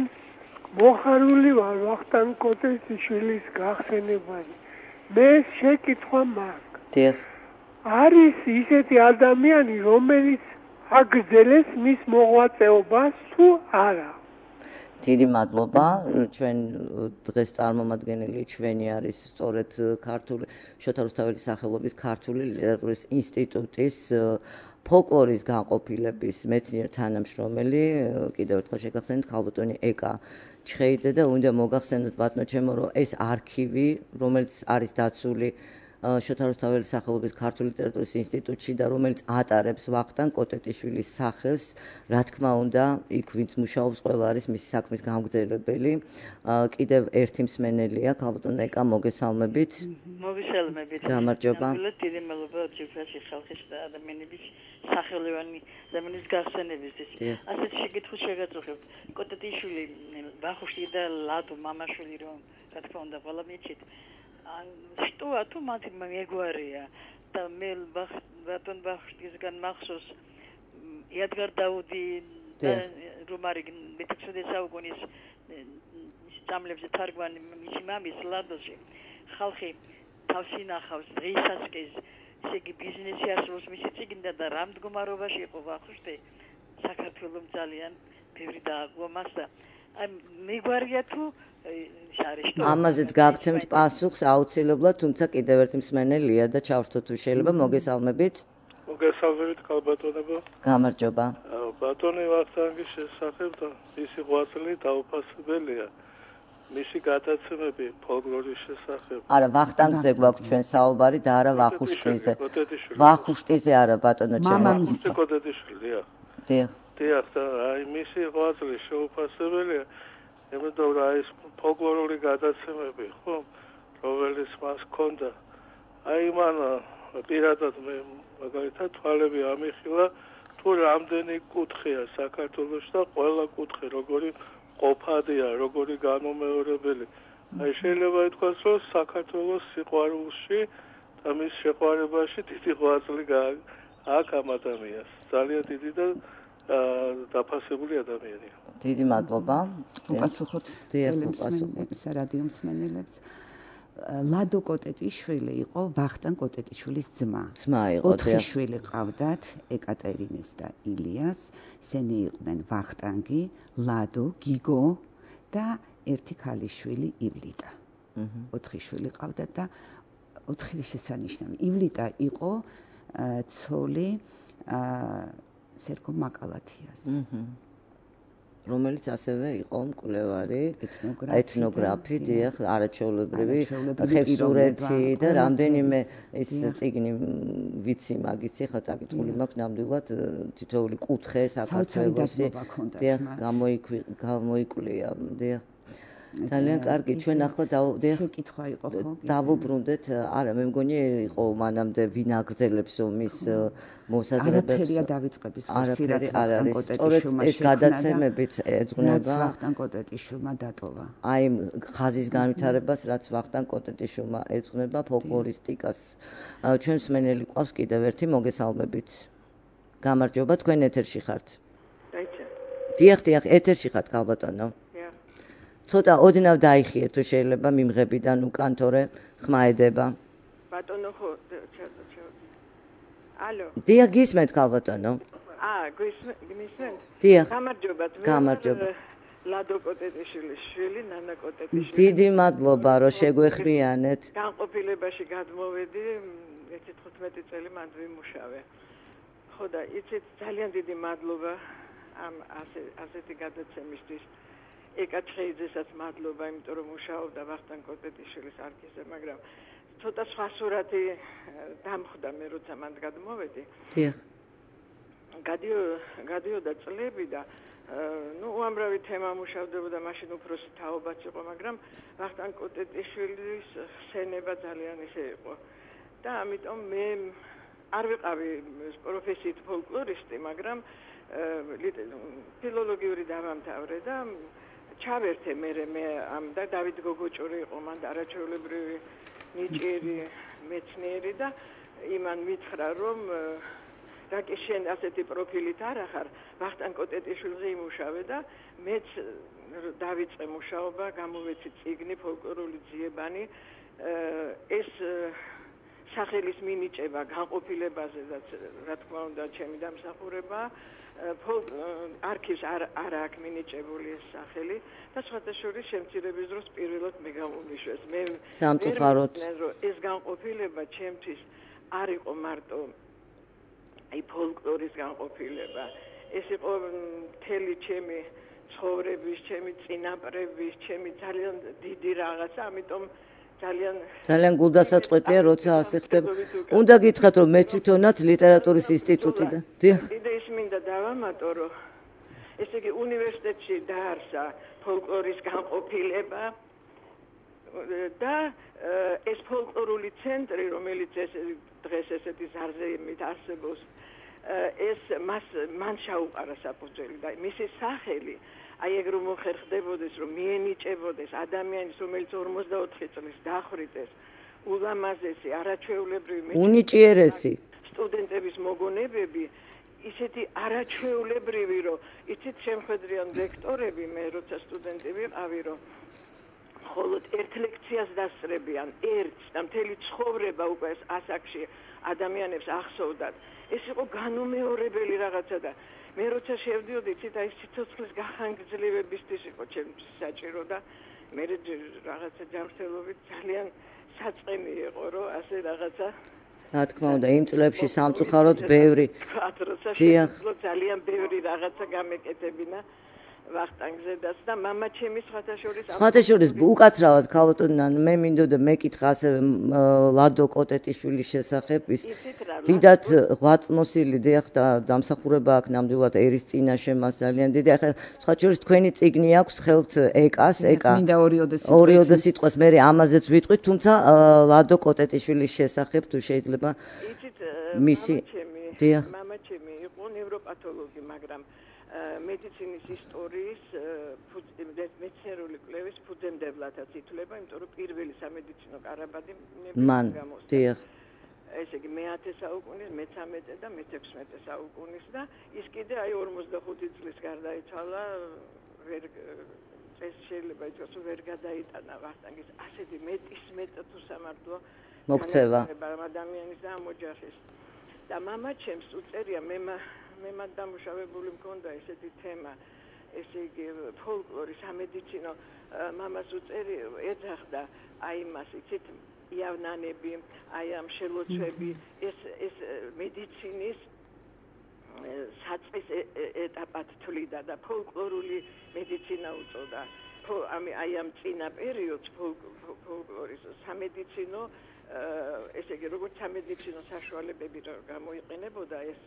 მოხარული ვარ ვახტანგ კოტეტიშვილის გახსენებაზე. მე შეკითხვა მაქვს. დიახ. არის ისეთი ადამიანი, რომელიც აგრძელებს მის მოღვაწეობას თუ არა? დიდი მადლობა. ჩვენ დღეს წარმომადგენელი ჩვენი არის სწორედ ქართული შოთა რუსთაველის სახელობის ქართული ლიტერატურის ინსტიტუტის ფოლკლორის განყოფილების მეცნიერ თანამშრომელი, კიდევ ერთხელ შეგახსენეთ ქალბატონი ეკა ჩხეიძე და უნდა მოგახსენოთ ბატონო ჩემო, რომ ეს არქივი, რომელიც არის დაცული შოთა რუსთაველის სახელობის ქართული ლიტერატურის ინსტიტუტში და რომელიც ატარებს ვახტანგ კოტეტიშვილის სახელს, რა თქმა უნდა, იქ ვინც მუშაობს, ყველა არის მისი საქმის გამგრძელებელი. კიდევ ერთი მსმენელია, ქალბატონ ეკა, მოგესალმებით. მოგესალმებით. გამარჯობა. დიდი მადლობა ჯგუფში ხალხის და ადამიანების სახელოვანი ადამიანის გახსენებისთვის. ასეთ შეკითხვას შეგაწუხებთ. კოტეტიშვილი, ვახუშტი და ლადო მამაშვილი რომ რა თქმა უნდა ყველა მიჩით. შტოა თუ მათი მეგვარია და მე ბატონ ვახუშტისგან მახსოვს იადგარ დაუდი რომ არის მეთექვსმეტე საუკუნის წამლებზე თარგმანი მისი მამის ლადოში ხალხი თავს ინახავს დღესაც კი ესე იგი ბიზნესი ასრულებს მისი წიგნიდან და რა მდგომარეობაში იყო ვახუშტი საქართველოს ძალიან ბევრი დააგვა მას და აი მეგვარია თუ ამაზეც გაგცემთ პასუხს აუცილებლად, თუმცა კიდევ ერთი მსმენელია და ჩავრთოთ თუ შეიძლება, მოგესალმებით. მოგესალმებით ქალბატონებო. გამარჯობა. ბატონი ვახტანგის შესახებ და მისი ღვაწლი დაუფასებელია. მისი გადაცემები ფოლკლორის შესახებ. არა, ვახტანგზე გვაქვს ჩვენ საუბარი და არა ვახუშტიზე. ვახუშტიზე არა, ბატონო ჩემო. ვახუშტი კოტეტიშვილია. დიახ. დიახ, და აი მისი ღვაწლი შეუფასებელია. იმიტომ რომ ეს ფოლკლორული გადაცემები, ხო, რომელიც მას ჰქონდა, აი მან პირადად მე მაგალითად თვალები ამიხილა, თუ რამდენი კუთხეა საქართველოში და ყველა კუთხე როგორი ყოფადია, როგორი განუმეორებელი. აი შეიძლება ითქვას, რომ საქართველოს სიყვარულში და მის შეყვარებაში დიდი ღვაწლი აქვს ამ ადამიანს. ძალიან დიდი და დაფასებული ადამიანია. დიდი მადლობა. უპასუხოთ ტელემსმენელებს, რადიო მსმენელებს. ლადო კოტეტიშვილი იყო ვახტანგ კოტეტიშვილის ძმა. ძმა იყო. ოთხი შვილი ყავდათ, ეკატერინეს და ილიას. ისინი იყვნენ ვახტანგი, ლადო, გიგო და ერთი ქალიშვილი ივლიტა. ოთხი შვილი ყავდათ და ოთხივე შესანიშნავი. ივლიტა იყო ცოლი სერგო მაკალათიას. რომელიც ასევე იყო მკვლევარი, ეთნოგრაფი, დიახ, არაჩვეულებრივი ხევსურეთი და რამდენიმე ეს წიგნი ვიცი მაგის ხა წაკითხული მაქვს ნამდვილად თითოეული კუთხე საქართველოსი დიახ გამოიკვლია, დიახ. ძალიან კარგი, ჩვენ ახლა შეკითხვა იყო ხო? დავუბრუნდეთ, არა, მე მგონი იყო მანამდე ვინ აგრძელებს მის მოსაზრებებს. არაფერია დავიწყების ხშირად არ არის. სწორედ ეს გადაცემებიც ეძღვნება ვახტანგ კოტეტიშვილმა დატოვა. აი ხაზის განვითარებას, რაც ვახტანგ კოტეტიშვილმა ეძღვნება ფოლკლორისტიკას. ჩვენ მსმენელი ყავს კიდევ ერთი, მოგესალმებით. გამარჯობა, თქვენ ეთერში ხართ. დაიჭა. დიახ, დიახ, ეთერში ხართ, ქალბატონო. ცოტა ოდნავ დაიხიეთ თუ შეიძლება მიმღებიდან უკან თორე ხმა ედება. ბატონო ხო ალო. დიახ, გისმენთ ქალბატონო. აა, გისმენთ? დიახ. გამარჯობა. გამარჯობა. ლადო კოტეტიშვილის შვილი, ნანა კოტეტიშვილი. დიდი მადლობა, რომ ხო და იცით ძალიან დიდი მადლობა ამ ასე ასეთი გადაცემისთვის. ეკაჩხეიძესაც მადლობა, იმიტომ რომ მუშაობდა ვახტანგ კოტეტიშვილის არქივზე, მაგრამ ცოტა სხვა სურათი დამხვდა მე როცა მანდ გადმოვედი. დიახ. გადიოდა წლები და ну უამრავი თემა მუშავდებოდა, მაშინ უფროსი თაობაც იყო, მაგრამ ვახტანგ კოტეტიშვილის ხსენება ძალიან ისე იყო. და ამიტომ მე არ ვიყავი პროფესიით ფოლკლორისტი, მაგრამ ფილოლოგიური დავამთავრე და ჩავერთე მე მე ამ და დავით გოგოჭური იყო მან არაჩვეულებრივი ნიჭიერი მეცნიერი და იმან მითხრა რომ რაკი შენ ასეთი პროფილით არ ახარ ვახტანგ კოტეტიშვილზე იმუშავე და მეც დავიწყე მუშაობა, გამოვეცი წიგნი ფოლკლორული ძიებანი ეს სახელის მინიჭება განყოფილებაზე და რა თქმა უნდა ჩემი დამსახურება არქივს არ არ აქვს მინიჭებული ეს სახელი და სხვათა შორის შემცირების დროს პირველად მე გამომიშვეს მე სამწუხაროდ ეს განყოფილება ჩემთვის არ იყო მარტო აი ფოლკლორის განყოფილება ეს იყო მთელი ჩემი ცხოვრების ჩემი წინაპრების ჩემი ძალიან დიდი რაღაცა ამიტომ ძალიან ძალიან გულდასაწყვეტია როცა ასე ხდება. უნდა გითხრათ რომ მე თვითონაც ლიტერატურის ინსტიტუტიდან. დიახ. კიდე ის მინდა დავამატო რომ ესე იგი უნივერსიტეტში დაარსა ფოლკლორის განყოფილება და ეს ფოლკლორული ცენტრი რომელიც ეს დღეს ესეთი ზარზეიმით არსებობს ეს მას მან შეუყარა საფუძველი და მისი სახელი აი ეგ რომ მოხერხდებოდეს რომ მიენიჭებოდეს ადამიანის რომელიც ორმოცდაოთხი წლის დახვრიტეს ულამაზესი არაჩვეულებრივი უნიჭიერესი სტუდენტების მოგონებები ისეთი არაჩვეულებრივი რომ იცით შემხედრიან ლექტორები მე როცა სტუდენტი ვიყავი რომ მხოლოდ ერთ ლექციას დასწრებიან ერთს და მთელი ცხოვრება უკვე ეს ასაკში ადამიანებს ახსოვდათ ეს იყო განუმეორებელი რაღაცა და მე როცა შევდიოდი ცით აი სიცოცხლის გახანგრძლივებისთვის იყო ჩემთვის საჭირო და მე რაღაცა ჯანმრთელობით ძალიან საწყენი იყო რომ ასე რაღაცა რა თქმა უნდა იმ წლებში სამწუხაროდ ბევრი დიახ ძალიან ბევრი რაღაცა გამეკეთებინა ვახტანგზედაც და მამა ჩემი სხვათა შორის სხვათა შორის უკაცრავად ქალბატონიდან მე მინდოდა მეკითხა ასევე ლადო კოტეტიშვილის შესახებ ის დიდად ღვაწმოსილი დიახ და დამსახურება აქვს ნამდვილად ერის წინაშე მას ძალიან დიდი ახლა სხვათა შორის თქვენი წიგნი აქვს ხელთ ეკას ეკა მინდა ორიოდე ორიოდე სიტყვას მე ამაზეც ვიტყვით თუმცა ლადო კოტეტიშვილის შესახებ თუ შეიძლება მისი დიახ მამა ჩემი იყო ნევროპათოლოგი მაგრამ მედიცინის ისტორიის მეცნიერული კვლევის ფუძემდებლადაც ითვლება, იმიტომ რომ პირველი სამედიცინო კარაბადი მან დიახ ესე იგი მეათე საუკუნის, მეთორმეტე და მეთექვსმეტე საუკუნის და ის კიდე აი ორმოცდახუთი წლის გარდაიცვალა ვერ ეს შეიძლება ითქვას რომ ვერ გადაიტანა ვახტანგის ასეთი მეტის მეტ თუ სამართლო მოქცევა ადამიანის და ამოჯახის და მამა ჩემს უწერია მე მე მან დამუშავებული მქონდა ესეთი თემა ესე იგი ფოლკლორი სამედიცინო მამას უწერი ეძახდა აი მას იცით იავნანები აი ამ შელოცვები ეს ეს მედიცინის საწყის ეტაპად თვლიდა და ფოლკლორული მედიცინა უწოდა აი ამ წინა პერიოდს ფოლკლორის სამედიცინო ესე იგი როგორც სამედიცინო საშუალებები გამოიყენებოდა ეს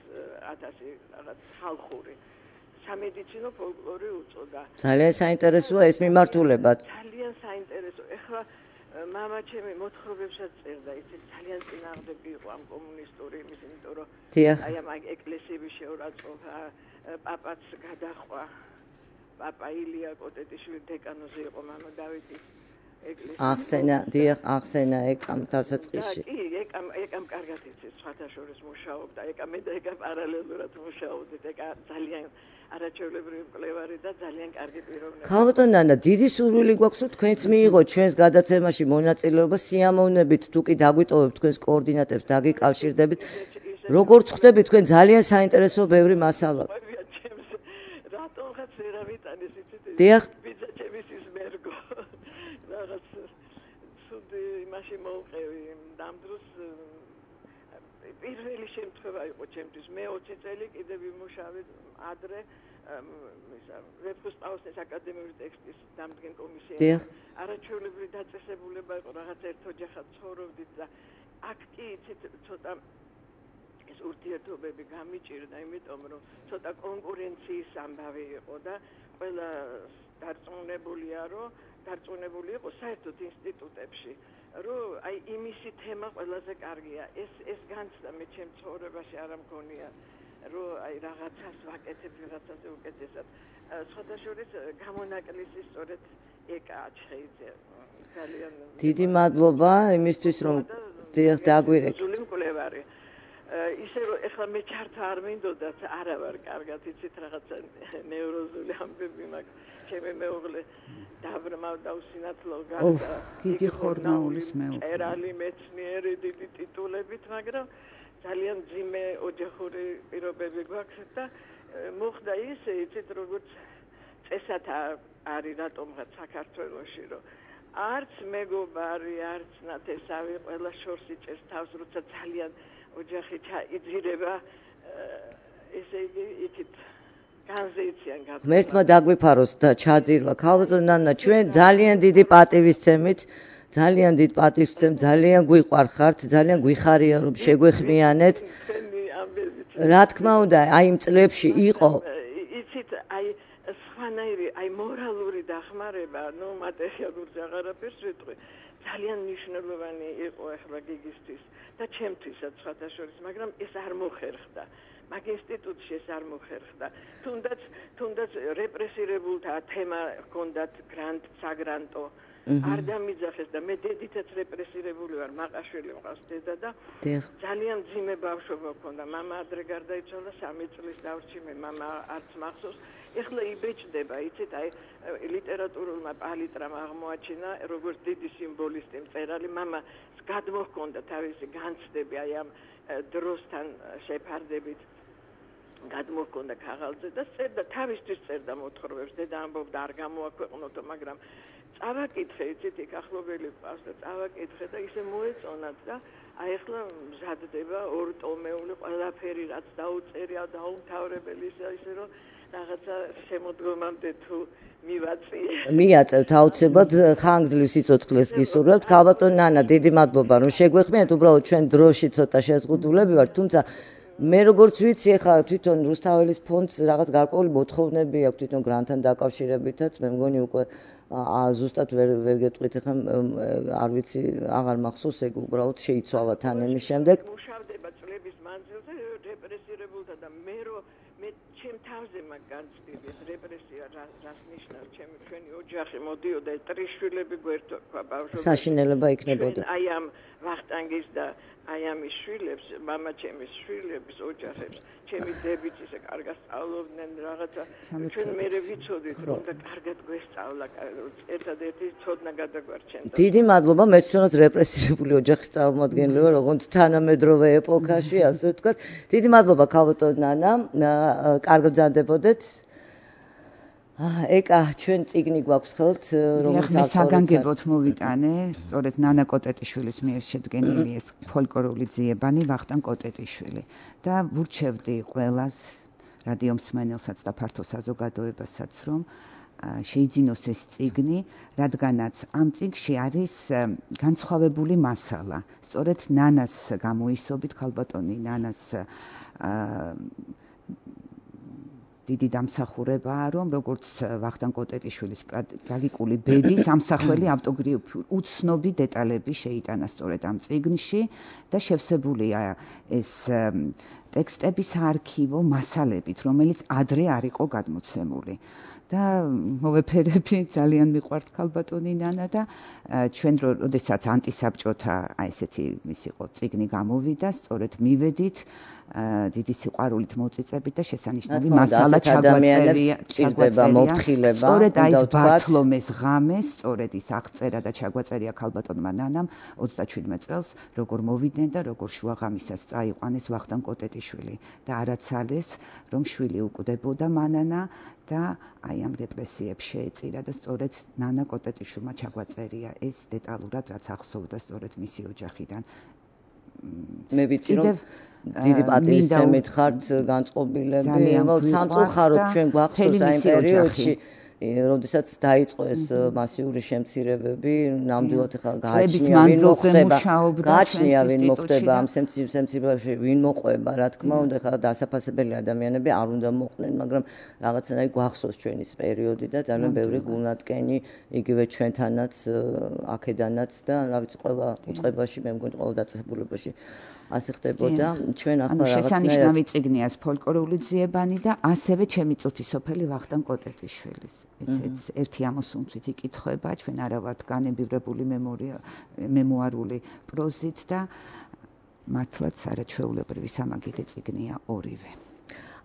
ათასი რაღაც ხალხური სამედიცინო ფოლკლორი უწოდა ძალიან საინტერესოა ეს მიმართულებაც ძალიან საინტერესო ეხლა მამა ჩემი მოთხრობებსაც წერდა იცით ძალიან წინააღმდეგი იყო ამ კომუნისტური იმის იმიტომ რომ აი ამ ეკლესიების შეურაცხყოფა პაპაც გადახვა პაპა ილია კოტეტიშვილი დეკანოზე იყო მამა დავითის ახსენა დიახ ახსენა ეკამ დასაწყისში კი ეკამ ეკამ კარგად იცის სხვათა შორის მუშაობდა ეკა მე და ეკა პარალელურად მუშაობდით ეკა ძალიან არაჩვეულებრივი მკვლევარი და ძალიან კარგი პიროვნება ქალბატონო დიდი სურვილი გვაქვს რომ თქვენც მიიღოთ ჩვენს გადაცემაში მონაწილეობა სიამოვნებით თუ კი დაგვიტოვებთ თქვენს კოორდინატებს დაგიკავშირდებით როგორც ხვდებით თქვენ ძალიან საინტერესო ბევრი მასალა რატომღაც ვერ ავიტანეს იცით დიახ იმაში მოვყევი ამ დროს პირველი შემთხვევა იყო ჩემთვის. მე ოცი წელი კიდევ ვიმუშავე ადრე ისა ვეფხისტყაოსნის აკადემიური ტექსტის დამდგენ კომისიაში. არაჩვეულებრივი დაწესებულება იყო, რაღაც ერთ ოჯახად ცხოვრობდით და აქ კი იცით ცოტა ეს ურთიერთობები გამიჭირდა, იმიტომ რომ ცოტა კონკურენციის ამბავი იყო და ყველა დარწმუნებულია, რომ დარწმუნებული იყო საერთოდ ინსტიტუტებში, რომ აი იმისი თემა ყველაზე კარგია. ეს ეს განცდა მე ჩემ ცხოვრებაში არ მგონია, რომ აი რაღაცას ვაკეთებ, რაღაცას უკეთესად. სხვათა შორის გამონაკლისი სწორედ ეკა აჩხეიძე. ძალიან დიდი მადლობა იმისთვის, რომ დაგვირეკეთ. ზული მკვლევარი. ისე რომ ეხლა მე ჩართა არ მინდოდათ, არა ვარ კარგად, იცით რაღაცა ნევროზული ამბები მაქვს. ჩემი მეუღლე დაბრმავდა usinatlო გახდა. გიგი ხორნაულის მეუღლე. ერალი მეცნიერი დიდი ტიტულებით, მაგრამ ძალიან ძიმე ოჯახური პირობები გვაქვს და მოხდა ისე, იცით როგორც წესად არის რატომღაც საქართველოში, რომ არც მეგობარი, არც ნათესავი ყველა შორს იჭერს თავს, როცა ძალიან ოჯახი ჩაიძირება, ესე იგი იქით განზეიციან გაბა. მერთმა დაგვიფაროს და ჩაძირვა. ქალბატონო ნანა, ჩვენ ძალიან დიდი პატივისცემით, ძალიან დიდ პატივისცემ, ძალიან გვიყვარხართ, ძალიან გვიხარია რომ შეგვეხმიანეთ. რა თქმა უნდა, აი იმ წლებში იყო იცით, აი სხვანაირი, აი მორალური დახმარება, ნუ მატერიალურზე აღარაფერს ვიტყვი. ძალიან მნიშვნელოვანი იყო ახლა გიგისთვის და ჩემთვისაც სხვათა შორის, მაგრამ ეს არ მოხერხდა. მაგ ინსტიტუტში ეს არ მოხერხდა. თუნდაც თუნდაც რეპრესირებულთა თემა ჰქონდათ გრანტ, საგრანტო. არ დამიძახეს და მე დედითაც რეპრესირებული ვარ, მაყაშვილი მყავს დედა და ძალიან ძიმე ბავშვობა მქონდა. მამა ადრე გარდაიცვალა, სამი წლის დავრჩიმე, მამა არც მახსოვს. ეხლა იბეჭდება, იცით, აი ლიტერატურულმა პალიტრამ აღმოაჩინა როგორც დიდი სიმბოლისტი მწერალი, მამა გადმოჰქონდა თავისი განცდები აი ამ დროსთან შეფარდებით. გადმოჰქონდა ქაღალდზე და წერდა თავისთვის წერდა მოთხრობებს, დედა ამბობდა არ გამოაქვეყნოთო, მაგრამ წავაკითხე, იცით, იქ ახლობელი ყავს და წავაკითხე და ისე მოეწონათ და აი ახლა მზადდება ორტომეული ყველაფერი, რაც დაუწერია, დაუმთავრებელი ისე ისე რომ რაღაცა შემოდგომამდე თუ მივაწიე. მიაწევთ აუცილებლად ხანგრძლივ სიცოცხლეს გისურვებთ. ქალბატონო ნანა, დიდი მადლობა რომ შეგვეხმიანეთ, უბრალოდ ჩვენ დროში ცოტა შეზღუდულები ვართ, თუმცა მე როგორც ვიცი, ახლა თვითონ რუსთაველის ფონდს რაღაც გარკვეული მოთხოვნები აქვს თვითონ გრანტთან დაკავშირებითაც, მე მგონი უკვე ზუსტად ვერ ვერ გეტყვით, ახლა არ ვიცი, აღარ მახსოვს, ეგ უბრალოდ შეიცვალა თან იმის შემდეგ. მუშავდება წლების მანძილზე რეპრესირებულთა და მე რომ მე ჩემ თავზე მაგ განცდები, ეს რეპრესია რას ნიშნავს, ჩემი ჩვენი ოჯახი მოდიოდა, ტრიშვილები გვერდო ყვა ბავშვობა. საშინელება იქნებოდა. აი ამ ვახტანგის და აი ამის შვილებს, მამა ჩემის შვილებს, ოჯახებს, ჩემი დებიც ისე კარგად სწავლობდნენ რაღაცა. ჩვენ მერე ვიცოდით, რომ და კარგად გვესწავლა, ერთადერთი ცოდნა გადაგვარჩენდა. დიდი მადლობა, მეც თვითონაც რეპრესირებული ოჯახის წარმომადგენელი ვარ, ოღონდ თანამედროვე ეპოქაში, ასე ვთქვათ. დიდი მადლობა ქალბატონო ნანა, კარგად გზადდებოდეთ. ეკა ჩვენ წიგნი გვაქვს ხელთ, რომელიც საგანგებოდ მოვიტანე, სწორედ ნანა კოტეტიშვილის მიერ შედგენილი ეს ფოლკლორული ძიებანი ვახტანგ კოტეტიშვილი და ვურჩევდი ყველას რადიო მსმენელსაც და ფართო საზოგადოებასაც, რომ შეიძინოს ეს წიგნი, რადგანაც ამ წიგნში არის განსხვავებული მასალა. სწორედ ნანას გამოისობით, ქალბატონი ნანას დიდი დამსახურებაა, რომ როგორც ვახტანგ კოტეტიშვილის ტრაგიკული ბედის ამსახველი ავტოგრაფიული უცნობი დეტალები შეიტანა სწორედ ამ წიგნში და შევსებულია ეს ტექსტების არქივო მასალებით, რომელიც ადრე არ იყო გადმოცემული. და მოვეფერები, ძალიან მიყვართ ქალბატონი ნანა და ჩვენ როდესაც ანტისაბჭოთა აი ესეთი ის იყო წიგნი გამოვიდა, სწორედ მივედით დიდი სიყვარულით მოწიწებით და შესანიშნავი მასალა ჩაგვაწერია, ჭირდება მოფხილება. სწორედ აი ეს ბართლომეს ღამე, სწორედ ის აღწერა და ჩაგვაწერია ქალბატონმა ნანამ ოცდაშვიდმე წელს, როგორ მოვიდნენ და როგორ შუაღამისას წაიყვანეს ვახტანგ კოტეტიშვილი და არაცალეს, რომ შვილი უკვდებოდა მანანა და აი ამ რეპრესიებს შეეწირა და სწორედ ნანა კოტეტიშვილმა ჩაგვაწერია ეს დეტალურად, რაც ახსოვდა სწორედ მისი ოჯახიდან. მე ვიცი რომ დიდი პატრიოტიზმით ხართ განწყობილები, სამწუხაროდ ჩვენ გვახსოვს აი პერიოდში როდესაც დაიწყო ეს მასიური შემცირებები, ნამდვილად ახლა გააჩნია ვინ მოხდება, გააჩნია ვინ მოხდება ამ შემცირებაში, ვინ მოყვება, რა თქმა უნდა, ახლა დასაფასებელი ადამიანები არ უნდა მოყვნენ, მაგრამ რაღაცნაირად გვახსოვს ჩვენი ეს პერიოდი და ძალიან ბევრი გულნატკენი იგივე ჩვენთანაც, აქედანაც და რა ვიცი, ყველა უწყებაში, მე მგონი ყველა დაწესებულებაში ასე ხდებოდა. ჩვენ ახლა რაღაცნაირად შესანიშნავი წიგნია ფოლკლორული ძიებანი და ასევე ჩემი წუთი სოფელი ვახტანგ კოტეტიშვილის. ესეც ერთი ამოსუნთვით იკითხება, ჩვენ არა ვართ განებივრებული მემუარული პროზით და მართლაც არაჩვეულებრივი სამაგიდე წიგნია ორივე.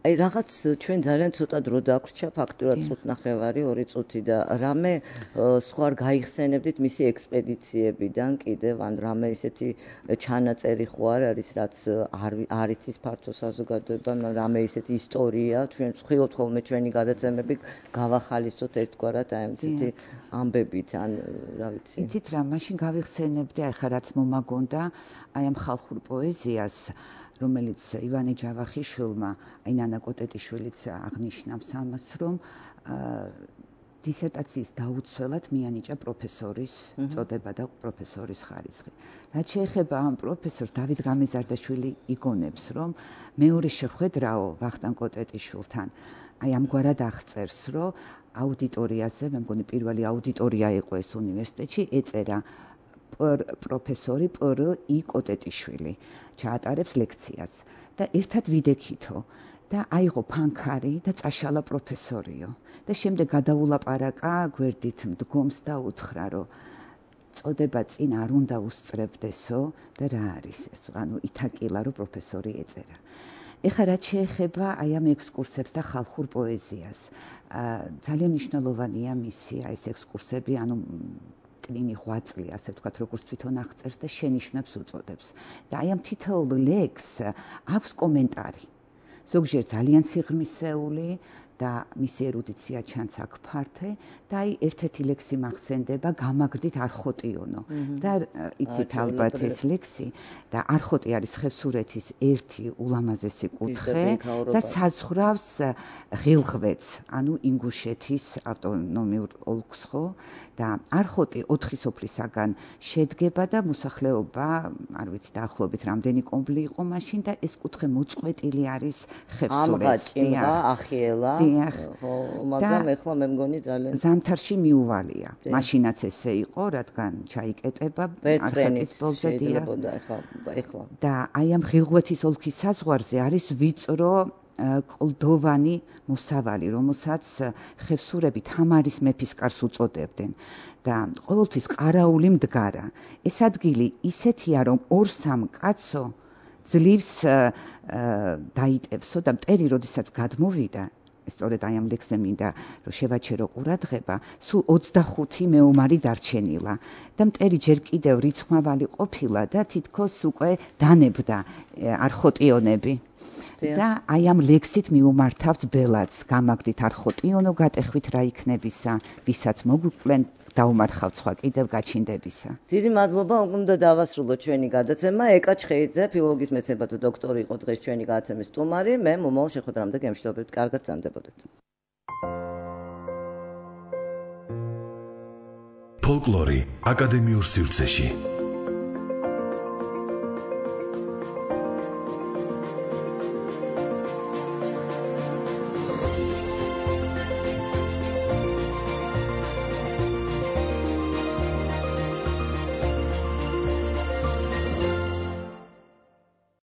აი რაღაც ჩვენ ძალიან ცოტა დრო დაგვრჩა ფაქტურად წუთნახევარი, ორი წუთი და რამე სხვა არ გაიხსენებდით მისი ექსპედიციებიდან კიდევ ან რამე ისეთი ჩანაწერი ხო არ არის რაც არ იცის ფართო საზოგადოებამ, რამე ისეთი ისტორია, ჩვენ ვხილობთ ხოლმე ჩვენი გადაცემები გავახალისოთ ერთგვარად აი ესეთი ამბებით ან რა ვიცი. იცით რა, მაშინ გავიხსენებდი აი ხა რაც მომაგონდა აი ამ ხალხურ პოეზიას რომელიც ივანე ჯავახიშვილმა, აი ნანა კოტეტიშვილიც აღნიშნავს ამას, რომ დისერტაციის დაუცველად მიანიჭა პროფესორის წოდება და პროფესორის ხარისხი. რაც შეეხება ამ პროფესორს დავით გამეზარდაშვილი იგონებს, რომ მეორე შეხვედრაო ვახტანგ კოტეტიშვილთან აი ამგვარად აღწერს, რომ აუდიტორიაზე, მე მგონი პირველი აუდიტორია იყო ეს უნივერსიტეტში, ეწერა პროფესორი პრ ი კოტეტიშვილი ჩაატარებს ლექციას და ერთად ვიდექითო და აიღო ფანქარი და წაშალა პროფესორიო და შემდეგ გადაულაპარაკა გვერდით მდგომს და უთხრა რომ წოდება წინ არ უნდა უსწრებდესო და რა არის ეს ანუ ითაკილა რომ პროფესორი ეწერა. ეხლა რაც შეეხება აი ამ ექსკურსებს და ხალხურ პოეზიას ძალიან მნიშვნელოვანია მისი აი ეს ექსკურსები ანუ კლინი ღვაწლი, ასე ვთქვათ, როგორც თვითონ აღწერს და შენიშვნებს უწოდებს. და აი ამ თითოეულ ლექს აქვს კომენტარი. ზოგჯერ ძალიან სიღრმისეული და მისი ერუდიცია ჩანს აქ ფართე და აი ერთ-ერთი ლექსი მახსენდება გამაგრდით არხოტიონო. და იცით ალბათ ეს ლექსი და არხოტი არის ხევსურეთის ერთი ულამაზესი კუთხე და საზღვრავს ღილღვედს, ანუ ინგუშეთის ავტონომიურ ოლქს ხო და არხოტი ოთხი სოფლისაგან შედგება და მოსახლეობა, არ ვიცი დაახლოებით რამდენი კომბლი იყო მაშინ და ეს კუთხე მოწყვეტილი არის ხევსურეთს. ამღაჭიმვა, ახიელა, ხო, მაგრამ ეხლა მე მგონი ძალიან ზამთარში მიუვალია. მაშინაც ესე იყო, რადგან ჩაიკეტება არხატის ბოლზე შეიძლება ეხლა ეხლა. და აი ამ ღილღვეთის ოლქის საზღვარზე არის ვიწრო კლდოვანი მოსავალი, რომელსაც ხევსურები თამარის მეფის კარს უწოდებდნენ და ყოველთვის ყარაული მდგარა. ეს ადგილი ისეთია, რომ ორ-სამ კაცო ძლივს დაიტევსო და მტერი როდესაც გადმოვიდა სწორედ აი ამ ლექსზე მინდა რომ შევაჩერო ყურადღება, სულ ოცდახუთი მეომარი დარჩენილა და მტერი ჯერ კიდევ რიცხმავალი ყოფილა და თითქოს უკვე დანებდა არხოტიონები. და აი ამ ლექსით მიუმართავს ბელადს, გამაგდით არხოტიონო გატეხვით რა იქნებისა, ვისაც მოგვიყვნენ დაუმარხავთ სხვა კიდევ გაჩინდებისა. დიდი მადლობა, უნდა დავასრულოთ ჩვენი გადაცემა. ეკა ჩხეიძე, ფილოლოგიის მეცნიერებათა დოქტორი იყო დღეს ჩვენი გადაცემის სტუმარი. მე მომავალ შეხვედრამდე გემშვიდობებით, კარგად გრძანდებოდეთ. ფოლკლორი აკადემიურ სივრცეში.